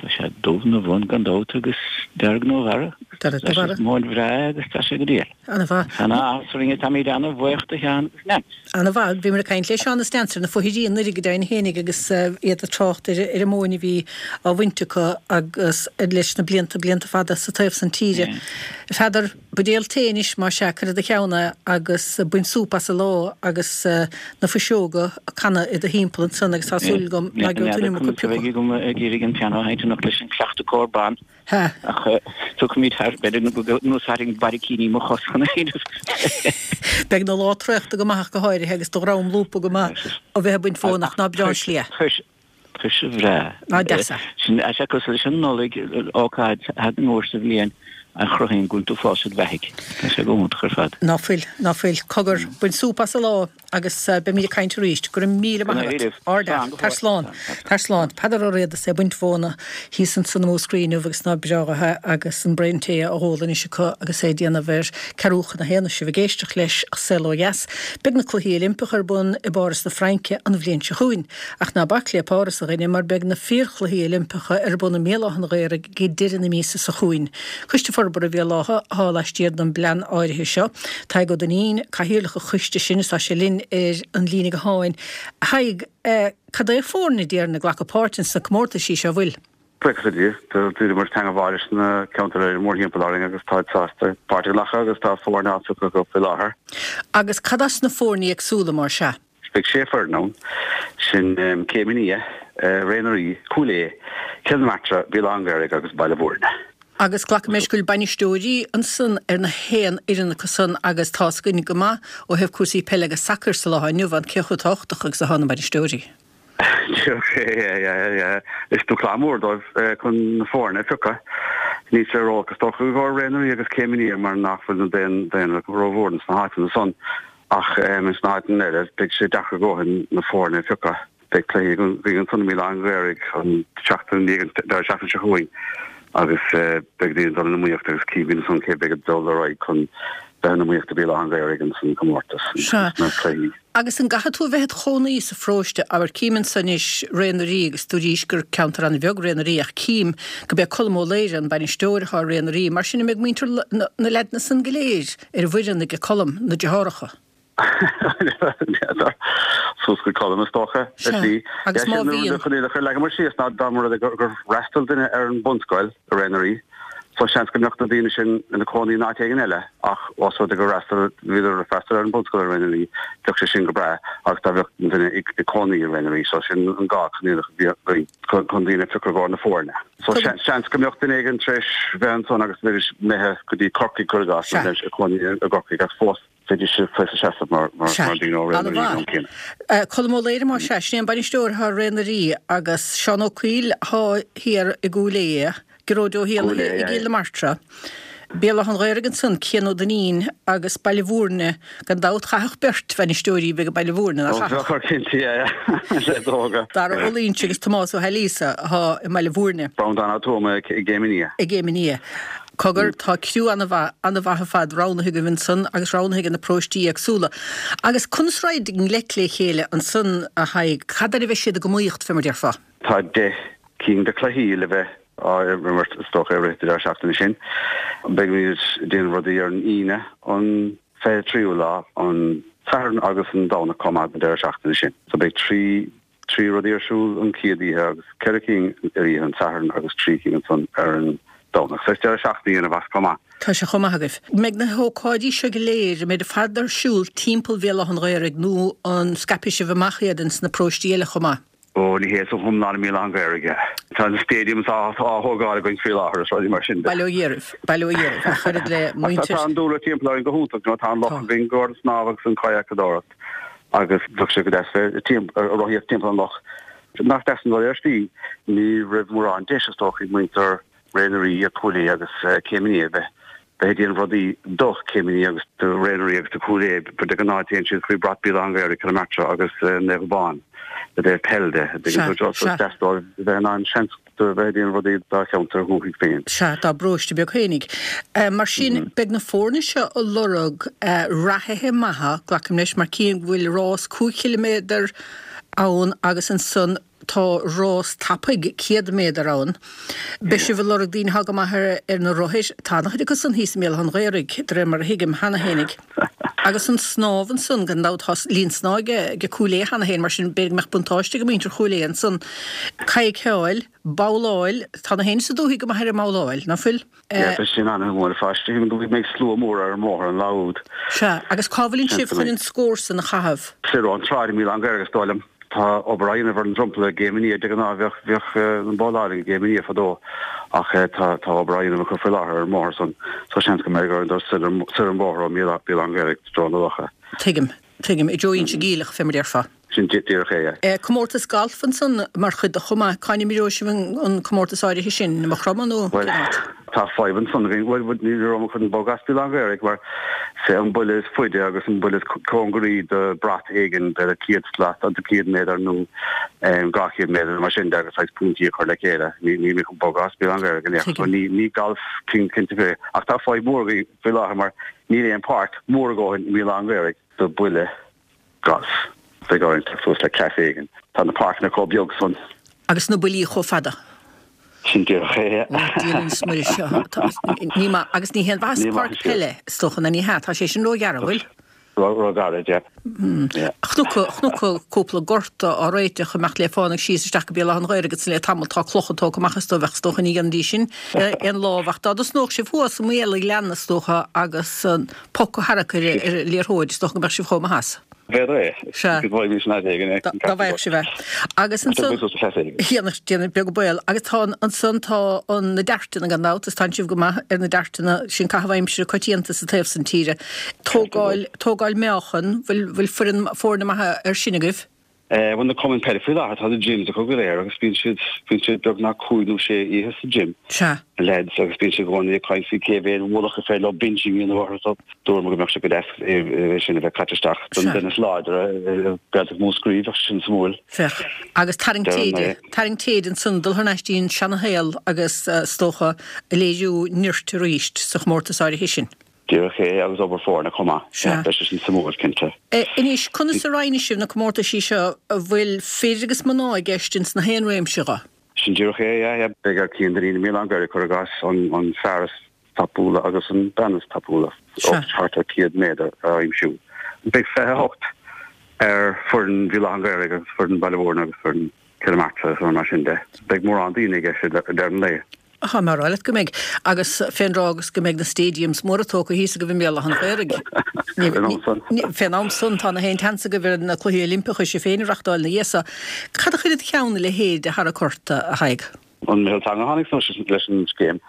tá sé dubh 'na bhun gan dabht agus dearg 'na bharra. Dearg 'na Tá sé bharra. móin bhreá agus tá sé go diail. Ana-mhaith. Tá ana-áthas orainn, táimid ana-bhuíoch do Sheán agus Neans. Ana-mhaith. Bhíomar ag caint le Seán is Neans ar na fothairí anuraidh go deimhin fhéinig agus iad ag trácht ar ar an móin a bhí á bhaint acu agus leis na blianta, blianta fada sa taobh san tíre. Pheadair, Buidéal tae anois, más ea, cuir i do cheann é agus bain súp as an lá agus na fuiseoga ag canadh i do thimpeall ansan agus tá súil agam ná gheobhaidh tú an N'fheadar iomarca conas a bheidh piocadh. agam ag iarraidh an pianó a sheinnt anocht leis an cleachtadh cór ban Ha. ach tiocfaimid thar, b'fhéidir go n-úsáidfinn barraicíní mo chos chun é a dhéanamh. Beidh na lá traochta go maith ach go háirithe agus do dhroim lúbtha go maith ó bheith ag baint mhóna ach ná breá an slí é. Tá sé bhreá. Ná deas é. Sin é sé cosúil leis an Nollaig, ócáid a thagann uair sa bhliain a chruthaíonn go bhfuil tú fós id bheathaidh. Tá sé go hiontach ar fad. Ná fuil, ná fuil. Cogar, bain súp as an lá agus beimid ag caint arís. Go raibh míle maith agat. Ard-fhear. Tar slán. Tar slán. Peadar Ó Riada is é ag baint mhóna thíos ansan i Múscraí inniu agus ná breá é agus an braon tae á ól anois acu agus é ag déanamh ar ceathrú chun a haon. Sibh ag éisteacht leis An Saol Ó Dheas. Beidh na Cluichí Oilimpeacha ar bun i bPáras na Fraince an bhliain seo chugainn. Ach ná bac le Páras a dhuine mar beidh na fíorchluichí Oilimpeacha ar bun i mBéal Átha an Ghaorthaidh ag deireadh na míosa seo chugainn. Coiste Forbartha Bhéal Átha atá laistiar den bplean áirithe seo. Tadhg Ó Duinnín, cathaoirleach an choiste sin is tá sé linn ar an líne gutháin. A Thaidhg, cad é foirne déarfainn ag glacadh páirt ins na comórtaisí seo, bhfuil? Buíochas le Dia, d'iarramar teagmháil leis na ceantair mórthimpeall orainn agus táid sásta páirt a ghlacadh agus tá foirne á phiocadh acu faoi láthair. Agus cad as na foirní éagsúla mar sea? Beidh sé foireann ann, sin Céim an Fhia, Ré na Rí, Cúil Aodha, Cill na Martra, Béal Átha an Ghaorthaidh agus Baile Bhúirne. Agus glacaim leis go bhfuil bainisteoirí ansan ar na haon fhoireann acu san agus tá's againn go maith ó thaobh cúrsaí peile agus sacair sa lá inniu ann cé chomh tábhachtach agus atá na bainisteoirí. Is dúshlán mór dóibh chun na foirne a phiocadh. Níl sé ródheacair is dócha i gcomhair Ré na Rí agus Céim an Fhia mar nach bhfuil an daonra rómhór sna háiteanna san ach sna háiteanna eile beidh sé deacair a dhóthain na foirne a phiocadh. Beidh cluichí againn ansan i mBéal Átha an Ghaorthaidh an tseachtain i ndiaidh an deireadh seachtaine seo chugainn agus beidh daoine ag dul in iomaíocht agus cífimid ansan cé beidh ag dul ar aghaidh chun bheith in iomaíocht i Béal Átha an Ghaorthaidh ins an chomórtas sna cluichí. Agus an gcaithfidh tú a bheith id chónaí sa pharóiste? Abair, cím anso anois Ré na Rí agus dúraís gur ceantar an-bheag Ré na Rí ach cím go b'é Colm Ó Laoire an bainisteoir atá ar Ré na Rí, mar sin an mbeidh muintir na leaideanna san go léir ar an bhfoireann aige Colm, na deartháireacha? N'fheadar. Suas go Colm is dócha. Sea. Agus má bhíonn. Chun iad a chur leagamar síos ná dá mba rud é gur fhreastail duine ar an bhunscoil i Ré na Rí, so seans go mbeadh na daoine sin ina cónaí in áit éigin eile ach ós rud é gur fhreastail, bhíodar ag freastal ar an bhunscoil i Ré na Rí, bheadh sé sin go breá agus dá mbeadh an duine ag cónaí i Ré na Rí. So sin an dhá choinníoll a bhí againn chun daoine a phiocadh i gcomhair na foirne. So seans go mbeadh duine éigin tar éis bheith ansan agus bheidís imithe go dtí Corcaigh cuir i gcás nó bheidís ag cónaí i gCorcaigh ach fós bheidís ag seasamh mar daoine ó Ré na Rí an am céanna. Colm Ó Laoire más ea, sin é an bainisteoir atá ar Ré na Rí agus Seán Ó Cuill atá thiar i gCúil Aodha, Gearóid Ó hÉallaithe i gCill na Martra, Béal Átha an Ghaorthaidh ansan, Cian Ó Duinnín agus Baile Bhúirne, gan dabht chaithfeadh beirt bhainisteoirí bheith ag Baile Bhúirne, nach chaithfeadh? Bheadh cinnte, yeah, yeah, is dócha. Dara Ó Loingsigh agus Tomás Ó hAilíosa atá i mBaile Bhúirne. Breandán Ó Tuama i gCéim an Fhia. I gCéim an Fhia. Cogar, tá criú an-mhaith, an-mhaith ar fad roghnaithe agaibh ansan agus roghnaithe ag na paróistí éagsúla. Agus conas raghaid i ngleic le chéile ansan, a Thaidhg? Cad air a bheidh siad ag iomaíocht, fé mar déarfá? Tá deich cinn de chluichí le bheith á imirt, is dócha, i rith an deireadh seachtaine sin. Beimid ag déanamh rudaí ar an Aoine, an fiche tríú lá, an Satharn agus an Domhnach chomh maith don deireadh seachtaine sin. So beidh trí trí rudaí ar siúl an chéad oíche agus ceithre cinn ar oíche an tSathairn agus trí cinn ansan ar an Domhnach. So is deireadh seachtaine a dhéanamh as chomh maith. Tá sé chomh maith agaibh. Mbeidh na hócáidí seo go léir, an mbeidh ar fad ar siúl timpeall Bhéal Átha an Ghaorthaidh nó an scaipfidh sibh amach iad ins na paróistí eile chomh maith? Ó, ní hea, is go hiomlán i mBéal Átha an Ghaorthaidh é. Tá an stadium á thógáil againn faoi láthair is rudaí mar sin de. Bail ó Dhia oraibh, bail ó Dhia oraibh, ach oiread le muintir. Tá an dúlra timpeall orainn go hiontach, you know, tá an loch againn i gcomhair an snámh agus an kayak-adóireacht. Agus bheadh sé go deas bheith ag rothaíocht timpeall an loch. Nach deas an rud é ar slí? Ní raibh mórán deis is dócha ag muintir Ré na Rí, Cúil Aodha agus Céim an Fhia bheith bheith ag déanamh rudaí do Chéim an Fhia agus do Ré na Rí agus do Chúil Aodha. De ghnáth téann siad faoi bhrat Béal Átha an Ghaorthaidh, Cill na Martra agus Naomh Abán i dtaobh peil de. Sea, sea. Is deas dóibh bheith in ann seans do bheith ag déanamh rudaí dá cheantar dhúchais féin. Sea, dá bparóiste beag fhéinig. Mar sin, beidh na foirne seo ag lorg reathaithe maithe, glacaim leis, mar cím go bhfuil rás cúig chiliméadar ann agus ansan tá rás tapaidh céad méadar ann. Beidh sibh ag lorg daoine atá go maith ar na rothair. Tá an-chuid acu san thíos i mBéal Átha an Ghaorthaidh, de réir mar a thuigim, cheana fhéinig. Agus an snámh ansan, gan dabht, tá linn snámha ag Cúil Aodha cheana féin, mar sin b'fhéidir go mbeadh buntáiste ag muintir Chúil Aodha ansan. Cadhcáil, babhláil, tá na héinne sa dúthaigh go maith ar an mbabhláil, ná fuil? Yeah, beidh sin an-mhór ar fad. Sílim go mbeidh slua mór ar an mbóthar an lá úd. Sea, agus cá bhfuileann sibh chun an scór san a chaitheamh? Soir ón tsráid i mBéal Átha an Ghaorthaidh is dóigh liom. Tá obair á dhéanamh ar an dromchla i gCéim an Fhia. De ghnáth bheadh bheadh an bhabhláil i gCéim an Fhia fadó ach tá tá obair á dhéanamh acu faoi láthair ar an mbóthar san so seans go mbeidh orainn dul soir soir an bóthar ó Bhéal Átha an Ghaorthaidh i dtreo na locha. Tuigim, tuigim. I dtreo Inse Geimhleach, fé mar déarfá. Sin díreach é, yeah. Comórtas galf ansan mar chuid de chomh maith. Cá n-imreoidh sibh an comórtas áirithe sin? I Maigh Chromtha nó Bhuel, cén áit? tá fadhb ansan againn. Bhuel, ní raibh mé chun bogadh as Béal Átha an Ghaorthaidh mar is é an buille is faide agus an buille is cóngaraí do brat éigin, b'fhéidir céad slat, céad méadar nó dhá chéad méadar nó mar sin de agus saghas pointí a chur le chéile. Ní níl mé chun bogadh as Béal Átha an Ghaorthaidh in aon chor. Ní ní galf cinnte faoi. Ach tá fadhb mhór againn faoi láthair mar níl aon páirc mhór a dhóthain i mBéal Átha an Ghaorthaidh do bhuille galf. Beidh orainn teacht suas le cleas éigin. Tá na páirceanna chomh beag san. Agus na buillí chomh fada. Sin díreach é. Ó, Dia linn is Muire seo. Ní maith, agus ní haon mhaitheas páirc peile, is dócha, ná ní hea, tá sé sin róghearr, an bhfuil? Róghairid, yeah. Chonac, chonac cúpla gort á réiteach imeacht le fánaidh síos isteach go Béal Átha an Ghaorthaidh agus le tamall tá clocha tógtha amach is dóigh bheadh is dócha ní dhéanfaidís sin aon lámh ach dá dtosnódh sibh thuas i mBéal an Ghleanna is dócha agus an poc a tharrac ar an liathróid is dócha go mbeadh sibh chomh maith as. B'fhéidir é. Sea. Go bhfaighimís an fhad éigin é. Dá bhfaigheadh sibh é. Agus ansan. Dhéanfadh, déanamh beag an baol. Agus tá an, ansan tá an, na dairteanna gan dabht, is tánn sibh go maith ar na dairteanna, sin caitheamh aimsire coitianta sa taobh san tíre. Tógáil, tógáil meáchan, bhfuil, bhfuil foireann, foirne maithe air sin agaibh? Bhuel, na cumainn peile faoi láthair, tá na gyms acu go léir agus bíonn siad, bíonn siad beagnach cúig nó sé oíche sa gym. Sea. Na lads agus bíonn siad i gcónaí ag caint faoi cé mhéad mullach is féidir leo benching a dhéanamh orthu so dúirt mé go mbeadh sé go deas é sin a bheith caite isteach don duine is láidre i Gaeltacht Mhúscraí, bheadh sé sin suimiúil. Féach. Agus tarraingt téide, tarraingt téide ansan, dul thar n-ais dtí an seanashaol agus is dócha léiriú nirt arís sa chomórtas áirithe sin. Díreach é, agus obair foirne chomh maith. Sea. Beidh sé sin suimiúil, cinnte. Anois, conas a roinnfidh sibh na comórtaisí seo a bhfuil fir agus mná i gceist ins na haon réimse dho? Sin díreach é, yeah, yeah. Beidh ar Cian Dineen i mBéal Átha an Ghaorthaidh, cuir i gcás, an fear is tapúla agus an bean is tapúla, thart ar céad méadar a aimsiú. Beidh fiche a hocht ar foireann Bhéal Átha an Ghaorthaidh agus foireann Bhaile Mhúirne agus foireann Chill Martra agus mar sin de. Beidh mórán daoine i gceist ag deireadh an lae. Tá mé a rá leat go mbeidh. Agus fén dtráth agus go mbeidh na stadiums móra tógtha thíos agaibh i mBéal Átha an Ghaorthaidh. Fén am san. Fén am san tá na haon tseans agaibh ar na Cluichí Oilimpeacha sibh féin a reachtáil ina dhiaidh so. Cad a chuir id cheann a leithéid de tharrac ort, a Thaidhg? An Meitheal Teanga a tháinig suas leis an scéim.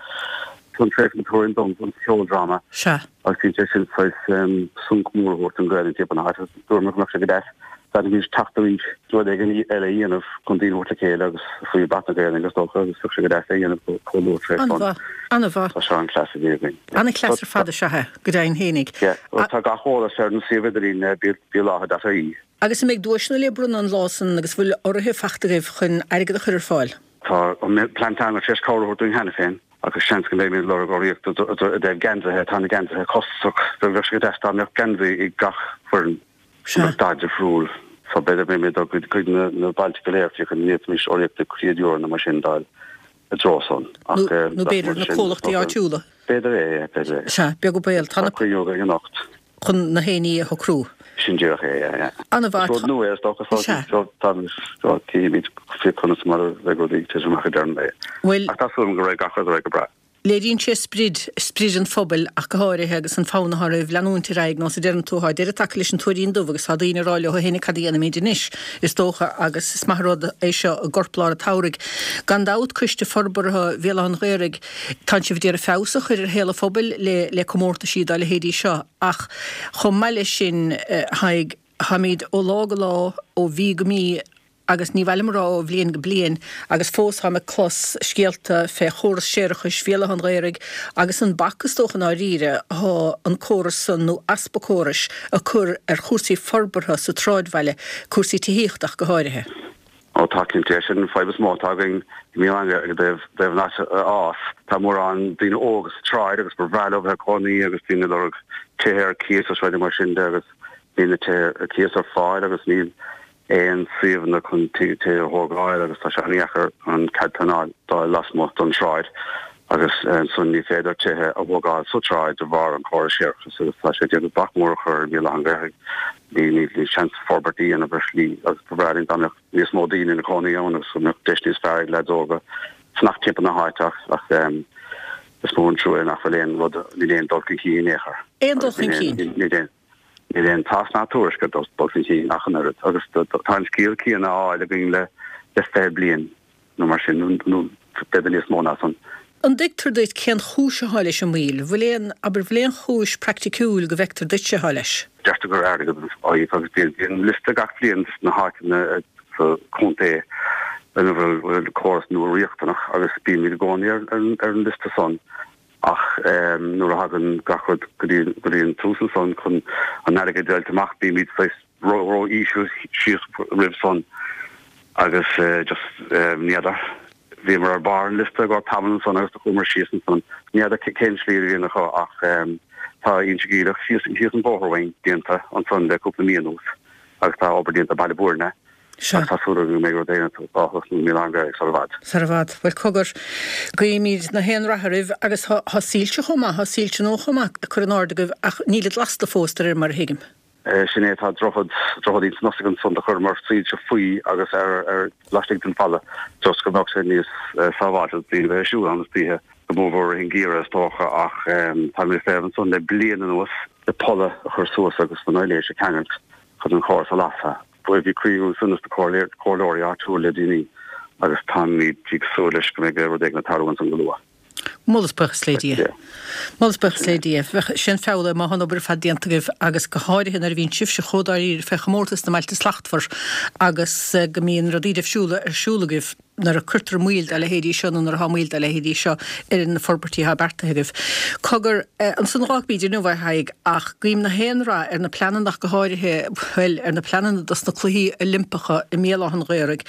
Thug Treasa Ní Tuairisg dom an ceoldráma. Sea. Agus bhí sé sin saghas sonc mór a thabhairt don Ghaelainn timpeall na háite. Dúirt mé go mbeadh sé go deas dá bhféadfaimis teacht arís rud éigin eile a dhéanamh chun daoine a thabhairt le chéile agus faoi bhrat na Gaelainne is dócha agus bheadh sé go deas é a dhéanamh chomh luath tar éis san. An-mhaith. An-mhaith. Tá seo an cleas a bhí againn. An-chleas ar fad is ea é, go deimhin fhéinig. Yeah. Bhuel tá gach eolas ar an suíomh idirlín béalátha dot ie. Agus an mbeidh duaiseanna le bronnadh an lá san agus bhfuil urraithe fachta agaibh chun airgead a chur ar fáil? Tá an Plean Teanga tar éis cabhair a thabhairt dúinn cheana féin agus seans go mbeimid ag lorg urraíocht i dtaobh geansaithe. Tá na geansaithe costasach. Bheadh sé go deas dá mbeadh geansaí ag gach foireann. Sea. Go mbeadh dath difriúil. So b'fhéidir go mbeimid ag dul chuig na bailte go léir fiú go bhféadfaimis urraíocht de chéad euro nó mar sin d'fháil i dtreo san. Ach Nó b'fhéidir na comhlachtaí áitiúla. B'fhéidir é, yeah, b'fhéidir é. Sea, beag an baol. Tá cruinniú againn anocht. Chun na haon ní a shocrú. Sin díreach é, yeah, yeah. An-mhaith. Is rud nua é is dócha so Sea. so táimid so cífimid faoi conas mar a bheidh rudaí ag titim amach ag deireadh an lae. Bhuel. Ach tá súil agam go raghaidh gach rud ar aghaidh go breá. Léiríonn sé sprid, sprid an phobail ach go háirithe agus an fonn atá oraibh leanúint ar aghaidh, nós a deireann tú, tá deireadh tagtha leis an Tuairín Dubh agus tá daoine ag rá leo féin cad a dhéanfaimid anois, is dócha, agus is maith an rud é seo i gcorplár an tsamhraidh. Gan dabht, Coiste Forbartha Bhéal Átha an Ghaorthaidh, tánn sibh ag iarraidh feabhas a chur ar shaol an phobail le le comórtaisí dá leithéidí seo ach chomh maith leis sin, a Thaidhg, táimid ó lá go lá, ó mhí go mí, agus ní mhaith liom a rá ó bhliain go bliain, agus fós táim ag clos scéalta fé chóras séarachais Bhéal Átha an Ghaorthaidh agus an bac is dócha i ndáiríre athá an córas san, nó easpa córais, a cur ar chúrsaí forbartha sa tsráidbhaile, cúrsaí tithíochta ach go háirithe. Ó tá cinnte, sin an fadhb is mó atá againn i mBéal Átha i dtaobh dtaobh an áit a fhás. Tá mórán daoine óga sa tsráid agus ba bhreá leo bheith ag cónaí agus daoine ag lorg tithe ar cíos agus rudaí mar sin de agus níl na tithe ar cíos ar fáil agus níl aon suíomhanna chun tithe a thógáil agus tá sé an-dheacair an cead pleanáil d'fháil lasmuigh don tsráid agus ansan ní féidir tithe a thógáil sa tsráid de bharr an chórais séarachais agus tá sé ag déanamh bac mór a chur ar Bhéal Átha an Ghaorthaidh. Ní níl seans forbairt a dhéanamh ar shlí agus ba bhreá linn dá mbeadh níos mó daoine ina cónaí ann agus go mbeadh deis níos fearr ag leaids óga fanacht timpeall na háite ach ach is mór an trua é nach bhfuil aon rud, níl aon dul chun cinn in aon chor. Aon dul chun cinn? Níl aon. Níl aon tásc ná tuairisc ar dul chun cinn ach an oiread agus tá an scéal céanna á fháil againn le fiche bliain nó mar sin, nó b'fhéidir níos mó ná san. An dtuigtear duit cén chúis atá leis an moill? Bhfuil aon, abair, bhfuil aon chúis praiticiúil go bhfeictear duitse atá leis? Deirtear gur airgead an fhadhb agus bíonn liosta gach bliain de na háiteanna sa chontae ina bhfuil córas nua riachtanach agus bímid i gcónaí ar an liosta san ach nuair a thagann gach rud go dtí an tús ansan chun an airgead a fháilt amach bímid saghas ró-íseal síos roimh san agus just ní fheadar. Bhíomar ar barr an liosta i gcomhair tamall ansan agus do chuamar síos ansan. Ní fheadar cén slí a bhíonn acu ach tá Inse Geimhleach síos síos an bóthar uainn déanta ansan le cúpla mí anuas agus tá obair déanta Baile Bhuirne agus tá súil agam go mbeidh rud éigin á thosnú i mBéal Átha an Ghaorthaidh sar i bhfad. Sar i bhfad. Bhuel cogar, guímid na haon rath oraibh agus tá soilse chomh maith, tá soilse nua chomh maith curtha in airde agaibh ach nílid lasta fós de réir mar a thuigim. Sin é, tá droichead, droichead ins an Ostaig ansan do chuireamar soilse faoi agus ar, ar, laistigh den bhfalla just go mbeadh sé níos sábháilte do daoine bheith ag siúl ann istoíche, go mórmhór i rith an gheimhridh is dócha ach táimid ag feitheamh ansan le bliain anuas le polla a chur suas agus an aibhléis a cheangailt chun an córas a lasadh. Bhí cruinniú ansan leis na comhairleoirí áitiúil le déanaí agus táimid ag súil leis go mbeidh rud éigin ag tarlú ansan go luath. Moladh is buíochas le Dia. Moladh is buíochas le Dia. Bheadh sé an feall é má tá an obair ar fad déanta agaibh agus go háirithe nuair a bhíonn sibhse chomh dáiríre fé chomórtas na mBailte Slachtmhar agus go mbíonn rudaí difriúla ar siúl agaibh nuair a cuirtear moill dá leithéidí seo nó nuair atá moill dá leithéidí seo ar na forbairtí atá beartaithe agaibh. Cogar, ansan fágfaimid inniu é a Thaidhg ach guím na haon rath ar na pleananna ach go háirithe, bhuel, ar na pleananna dos na Cluichí Oilimpeacha i mBéal Átha an Ghaorthaidh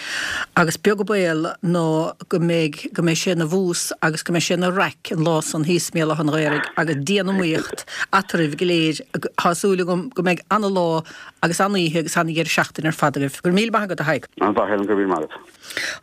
agus beag an baol ná go mbeidh, go mbeidh sé ina bhús agus go mbeidh sé ina raic an lá san thíos i mBéal Átha an Ghaorthaidh agus dian-iomaíocht eatarthu go léir. Tá súil agam go mbeidh ana-lá agus an-oíche agus ana-dheireadh seachtaine ar fad agaibh. Go raibh míle maith agat, a Thaidhg. An-mhaith, Helen, go raibh míle maith agat.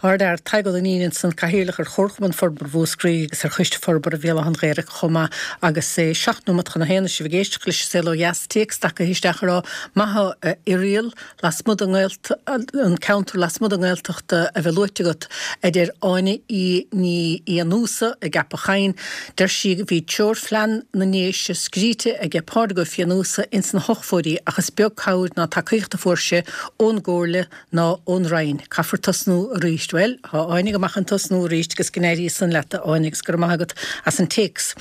Ardfhear, Tadhg Ó Duinnín ansan, Cathaoirleach ar Chomharchumann Forbartha Mhúscraí agus ar Choiste Forbartha Bhéal Átha an Ghaorthaidh chomh maith agus é seacht nóimeat chun a haon is sibh ag éisteacht leis an Saol Ó Dheas, téacs tagtha isteach ag rá, Maith thú a Irial, lasmuigh den nGaeltacht, an ceantar lasmuigh den nGaeltacht a bheith luaite agat, a deir Áine Í Ní Fhiannúsa i gCeapach Choinn. Deir sí go bhí treoirphlean na nDéise scríte aige Pádraig Ó Fiannúsa ins na hochtóidí ach is beag cabhair ná tacaíocht a fuair sé ón gComhairle ná ón Roinn. Caithfear tosnú arís. Bhuel, tá Áine go maith chun tosnú arís agus go n-éirí san leat, a Áine, agus go raibh maith agat as an téacs.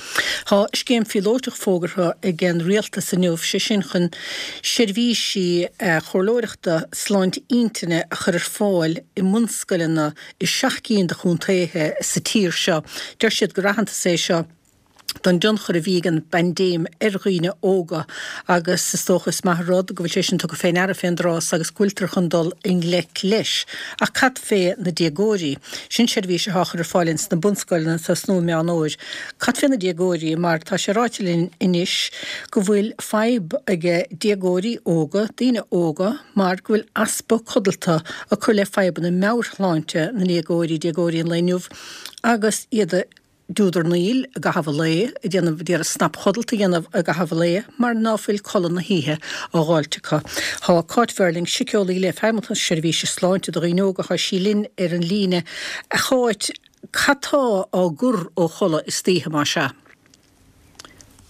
Tá scéim phíolótach fógartha ag an Rialtas inniu, sé sin chun seirbhísí comhairleoireachta sláinte intinne a chur ar fáil i mbunscoileanna i seacht gcinn de chontaetha sa tír seo. Deir siad gur aitheantas é seo don dtionchar a bhí ag an bpaindéim ar dhaoine óga agus is dócha is maith an rud go bhfuil sé sin tugtha fé ndeara fén dtráth so agus go bhfuiltear chun dul i ngleic leis. Ach cad fé na déagóirí? Sin seirbhís atá á chur ar fáil ins na bunscoileanna ag tosnú i Meán Fhómhair. Cad fé na déagóirí mar tá sé ráite linn anois go bhfuil fadhb ag déagóirí óga, daoine óga, mar go bhfuil easpa codlata ag cur le fadhbanna meabhairshláinte na ndéagóirí, déagóirí an lae inniu agus iad a dúdarnaíl i gcaitheamh an lae, ag déanamh, ag iarraidh snapchodlata a dhéanamh i gcaitheamh an lae mar ná fuil codladh na hoíche á dh'fháilt acu. Tá Cáit Verling, síceolaí le Feidhmeannas na Seirbhíse Sláinte do Dhaoine Óga, tá sí linn ar an líne. A Cháit, cad tá á gcur ó chodladh istoíche, más ea?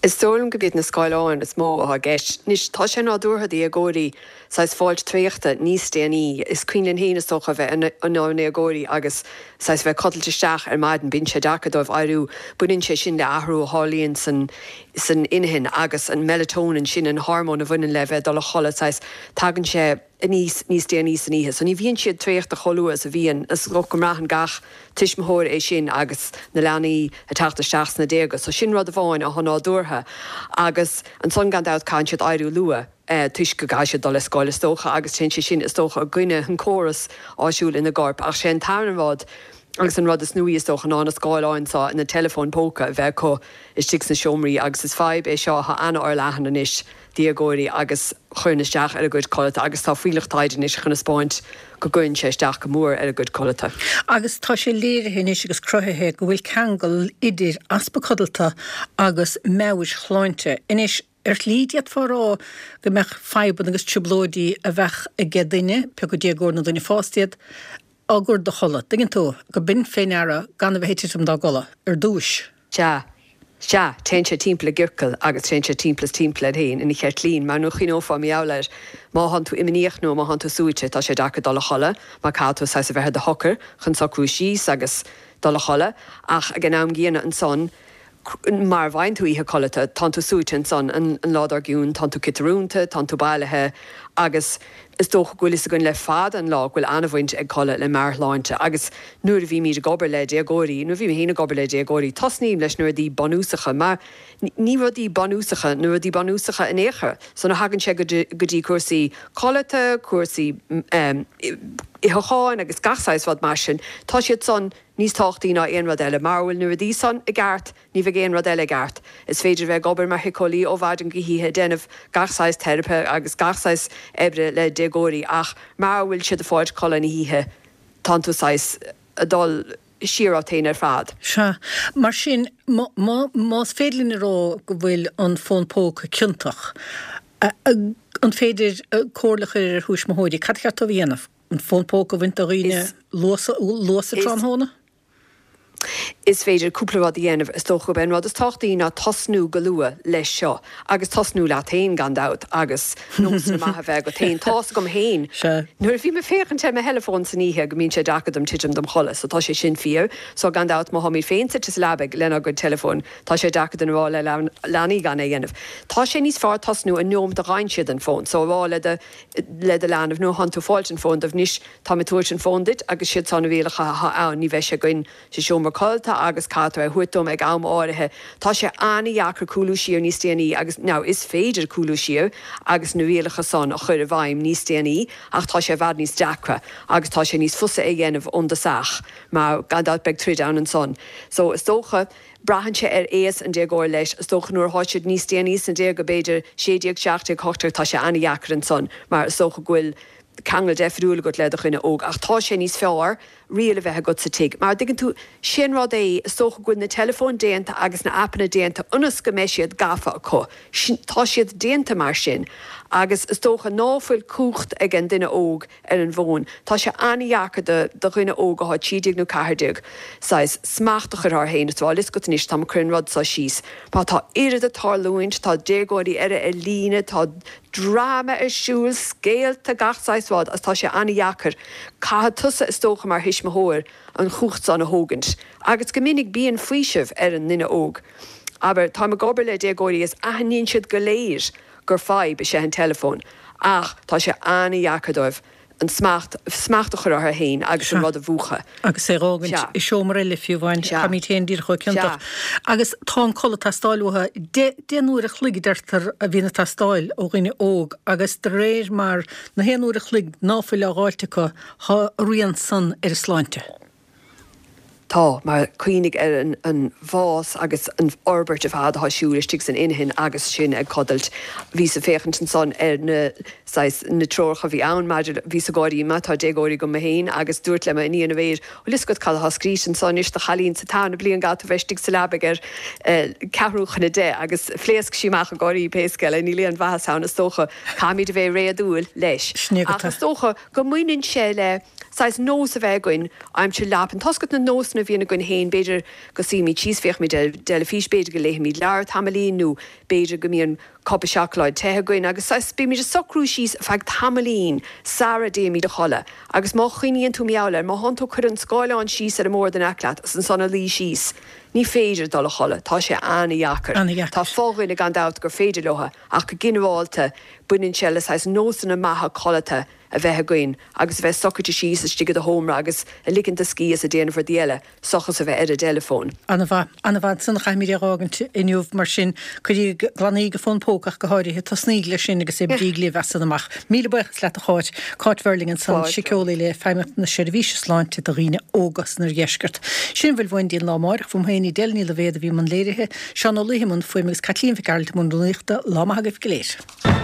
Is dóigh liom gurb iad na scáileáin is mó atá i gceist. Anois, tá sé nádúrtha do dhéagóirí saghas fáilt traochta níos déanaí. Is cuimhin linn féin, is dócha, a bheith inár ndéagóirí agus saghas bheith ag codlailt isteach ar maidin. Bíonn sé deacair dóibh éiriú. Baineann sé sin le athrú a tharlaíonn san san inchinn agus an melatonin, sin an hormón a bhaineann le bheith ag dul a chodladh, saghas tagann sé aníos níos déanaí san oíche. So ní bhíonn siad traochta chomh luath is a bhíonn. Is dócha go mbraitheann gach tuismitheoir é sin agus na leanaí ag teacht isteach sna déaga. So sin rud amháin atá nádúrtha. Agus ansan gan dabht caitheann siad éiriú luath toisc go gcaithfidh siad dul ar scoil is dócha agus téann sé sin is dócha i gcoinne an córas áisiúil ina gcorp. Ach sé an tarna rud agus an rud is nuaí is dócha ná na scáileáin seo, na teileafóin póca a bheith acu istigh sna seomraí agus is fadhb é seo atá an-fhorleathan anois déagóirí agus chuireann isteach ar a gcuid codlata agus tá fuílleach taighde anois chun a 'spáint go gcuireann sé isteach go mór ar a gcuid codlata. Agus tá sé léirithe anois agus cruthaithe go bhfuil ceangal idir easpa codlata agus meabhairshláinte. Anois, ar shlí d'fhéadfá a rá go mbeadh fadhbanna agus trioblóidí a bheadh aige duine, pé acu déagóir nó duine fásta iad, á gcur de chodladh, dtuigeann tú, go b'in fé ndeara gan a bheith ag titim dá gcodladh ar dtúis. Sea. Sea, téann sé timpeall i gciorcal agus téann sé timpeall is timpeall air féin ina cheirtlín, mar nuair a chuimhneofá mar gheall air, má thánn tú imníoch nó má thánn tú suaite, tá sé deacair dul a chodladh, mar caithfidh tú saghas a bheith i do shocair chun socrú síos agus dul a chodladh, ach ag an am gcéanna ansan, mara bhfaigheann tú oíche codlata, tánn tú suaite ansan an lá dár gcionn, tánn tú ciotarúnta, tánn tú bailithe agus is dócha go bhfuil fhios againn le fada an lá go bhfuil an-bhaint ag codladh le meabhairshláinte agus nuair a bhímid ag obair le déagóirí, nuair a bhí mé féin ag obair le déagóirí, tosnaím leis na rudaí bunúsacha mar ní rudaí bunúsacha na rudaí bunúsacha in aon chor. So nuair a thagann sé go dtí cúrsaí codlata, cúrsaí itheacháin agus gach saghas rud mar sin, tá siad san níos tábhachtaí ná aon rud eile. Mara bhfuil na rudaí san i gceart, ní bheidh aon rud eile i gceart. Is féidir a bheith ag obair mar shíceolaí ó mhaidin go hoíche, ag déanamh gach saghas teiripe agus gach saghas oibre le déagóirí ach mara bhfuil siad ag fáilt codladh na hoíche, tánn tú saghas ag dul siar ort féin ar fad. Sea. Mar sin, más féidir linn a rá go bhfuil an fón póca ciontach, an féidir comhairle a chur ar thuismitheoirí cad a cheart dóibh a dhéanamh? An fón póca a bhaint de dhaoine luath sa tráthnóna? Is féidir cúpla rud a dhéanamh. Is dócha gurb é an rud is tábhachtaí ná tosnú go luath leis seo agus tosnú leat féin gan dabht agus nósanna maithe a bheith agat féin. Tá's agam féin nuair a bhím ag féachaint ar mo theileafón san oíche go mbíonn sé deacair dom titim dom chodladh so tá sé sin fíor. So gan dabht má tháimid féin suite sa leabaidh lenár gcuid teileafóin tá sé deacair dúinn a rá le leanaí gan é a dhéanamh. Tá sé níos fearr tosnú an neomat a fhaigheann siad an fón so a rá le do le do leanbh nuair a thánn tú ag fáilt an fón dóibh anois táim ag tabhairt an fón duit agus siad seo na rialacha atá ann ní bheidh sé againn sa seomra codlata agus caithfidh tú é a thabhairt dom ag am áirithe. Tá sé an-dheacair cúlú siar níos déanaí agus now is féidir cúlú siar agus na rialacha san a chur i bhfeidhm níos déanaí ach tá sé i bhfad níos deacra agus tá sé níos fusa é a dhéanamh ón dtosach mar gan dabht beidh troid ann ansan. So is dócha Braitheann sé ar aois an déagóir leis. Is dócha nuair atá siad níos déanaí sna déaga, b'fhéidir sé déag, seacht déag, hocht déag, tá sé an-dheacair ansan mar is dócha go bhfuil ceangal deifriúil agat le do dhuine óg. Ach tá sé níos fearr riail a bheith agat sa tigh. Mar, dtuigeann tú, sé an rud é, is dócha go bhfuil na teileafóin déanta agus na aipeanna déanta ionas go mbeidh siad gafa acu. Tá siad déanta mar sin. Agus is dócha ná fuil cumhacht ag an duine óg ar an bhfón. Tá sé an-dheacair do do dhuine óg athá trí déag nó ceathair déag saghas smacht a chur air féin is rá 'fhios agat anois táim ag cur an rud seo síos. Mar tá oiread ag tarlúint, tá déagóirí eile ar líne, tá dráma ar siúl, scéalta, gach saghas rud agus tá sé an-dheacair. Caithfidh tusa is dócha mar thuismitheoir an chumhacht san a thógaint. Agus go minic bíonn faoiseamh ar an nduine óg. Abair, táim ag obair le déagóirí is aithníonn siad go léir gur fadhb is ea an teileafón ach tá sé an-dheacair dóibh an smacht, smacht a chur orthu féin agus an Sea. rud a mhúchadh. Agus é a dh'fhágaint Sea. i seomra eile fiú amháin, Sea. táimid féin díreach chomh ciontach. Sea. Agus tá an codladh ag teastáil uathu. Deich, deich n-uair a chloig a deirtear a bhíonn ag teastáil ó dhuine óg agus de réir mar na haon uair a chloig ná fuil á dh'fháilt acu, thá a rian san ar a sláinte. Tá, mar cuimhnigh ar an bhfás agus an fhorbairt ar fad atá ag siúl istigh san inchinn agus sinn ag codailt. Bhíos ag féachaint ansan ar na, saghas, na treoracha a bhí ann maidir le, bhíos ag gáirí mar tá déagóirí agam féin agus dúirt le m'iníon aréir, bhfuil fhios agat cad atá scríte anso anois do chailín sa tarna bliain caithfidh tú bheith istigh sa leabaidh ar ceathrú chun a deich agus phléasc sí amach ag gáirí pé scéal é, níl aon mhaitheas ann is dócha, caithfimid a bheith réadúil leis. Sin é Ach agat. is dócha go mbaineann sé le. saghas nós a bheith againn aimsir leapan. Tá's agat na nósanna a bhíonn againn féin, b'fhéidir go suímid síos, féachfaimid ar an dteilifís, b'fhéidir go léifimid leabhar tamaillín nó b'fhéidir go mbíonn cupa seacláid te againn agus saghas bímid ag socrú síos ar feadh tamaillín sara dtéimid a chodladh. Agus má chuimhníonn tú mar gheall air, má thánn tú ag cur an scáileán síos ar an mbord in aice leat is ansan a luí síos, ní féidir dul a chodladh, tá sé an-dheacair. An-dheacair. Tá fo-dhuine gan dabht gur féidir leo ach go ginearálta baineann sé le saghas nósanna maithe codlata a bheith againn agus a bheith socraithe síos istigh i do sheomra agus ag ligint do scíth is ag déanamh rudaí eile seachas a bheith ar an dteileafón. An-mhaith, an-mhaith. Ansan a chaithfimid é a dh'fhágaint inniu mar sin. Cuiríg, glanaíg an fón póca ach go háirithe, tosnaíg leis sin agus oibríg libh as san amach. Míle buíochas leat a Cháit. Cáit Verling ansan, Fáilte. síceolaí le Feidhmeannacht na Seirbhíse Sláinte do dhaoine óga san Oirdheisceart. Sin a bhfuil uainn go dtí an lá amáireach. Fúm féin, Edel Ní Loibhéad a bhí i mbun léirithe, Seán Ó Laoithe i mbun fuaime agus Caitlín Mhic Gearailt i mbun rúnaíochta. Lá maith agaibh go léir.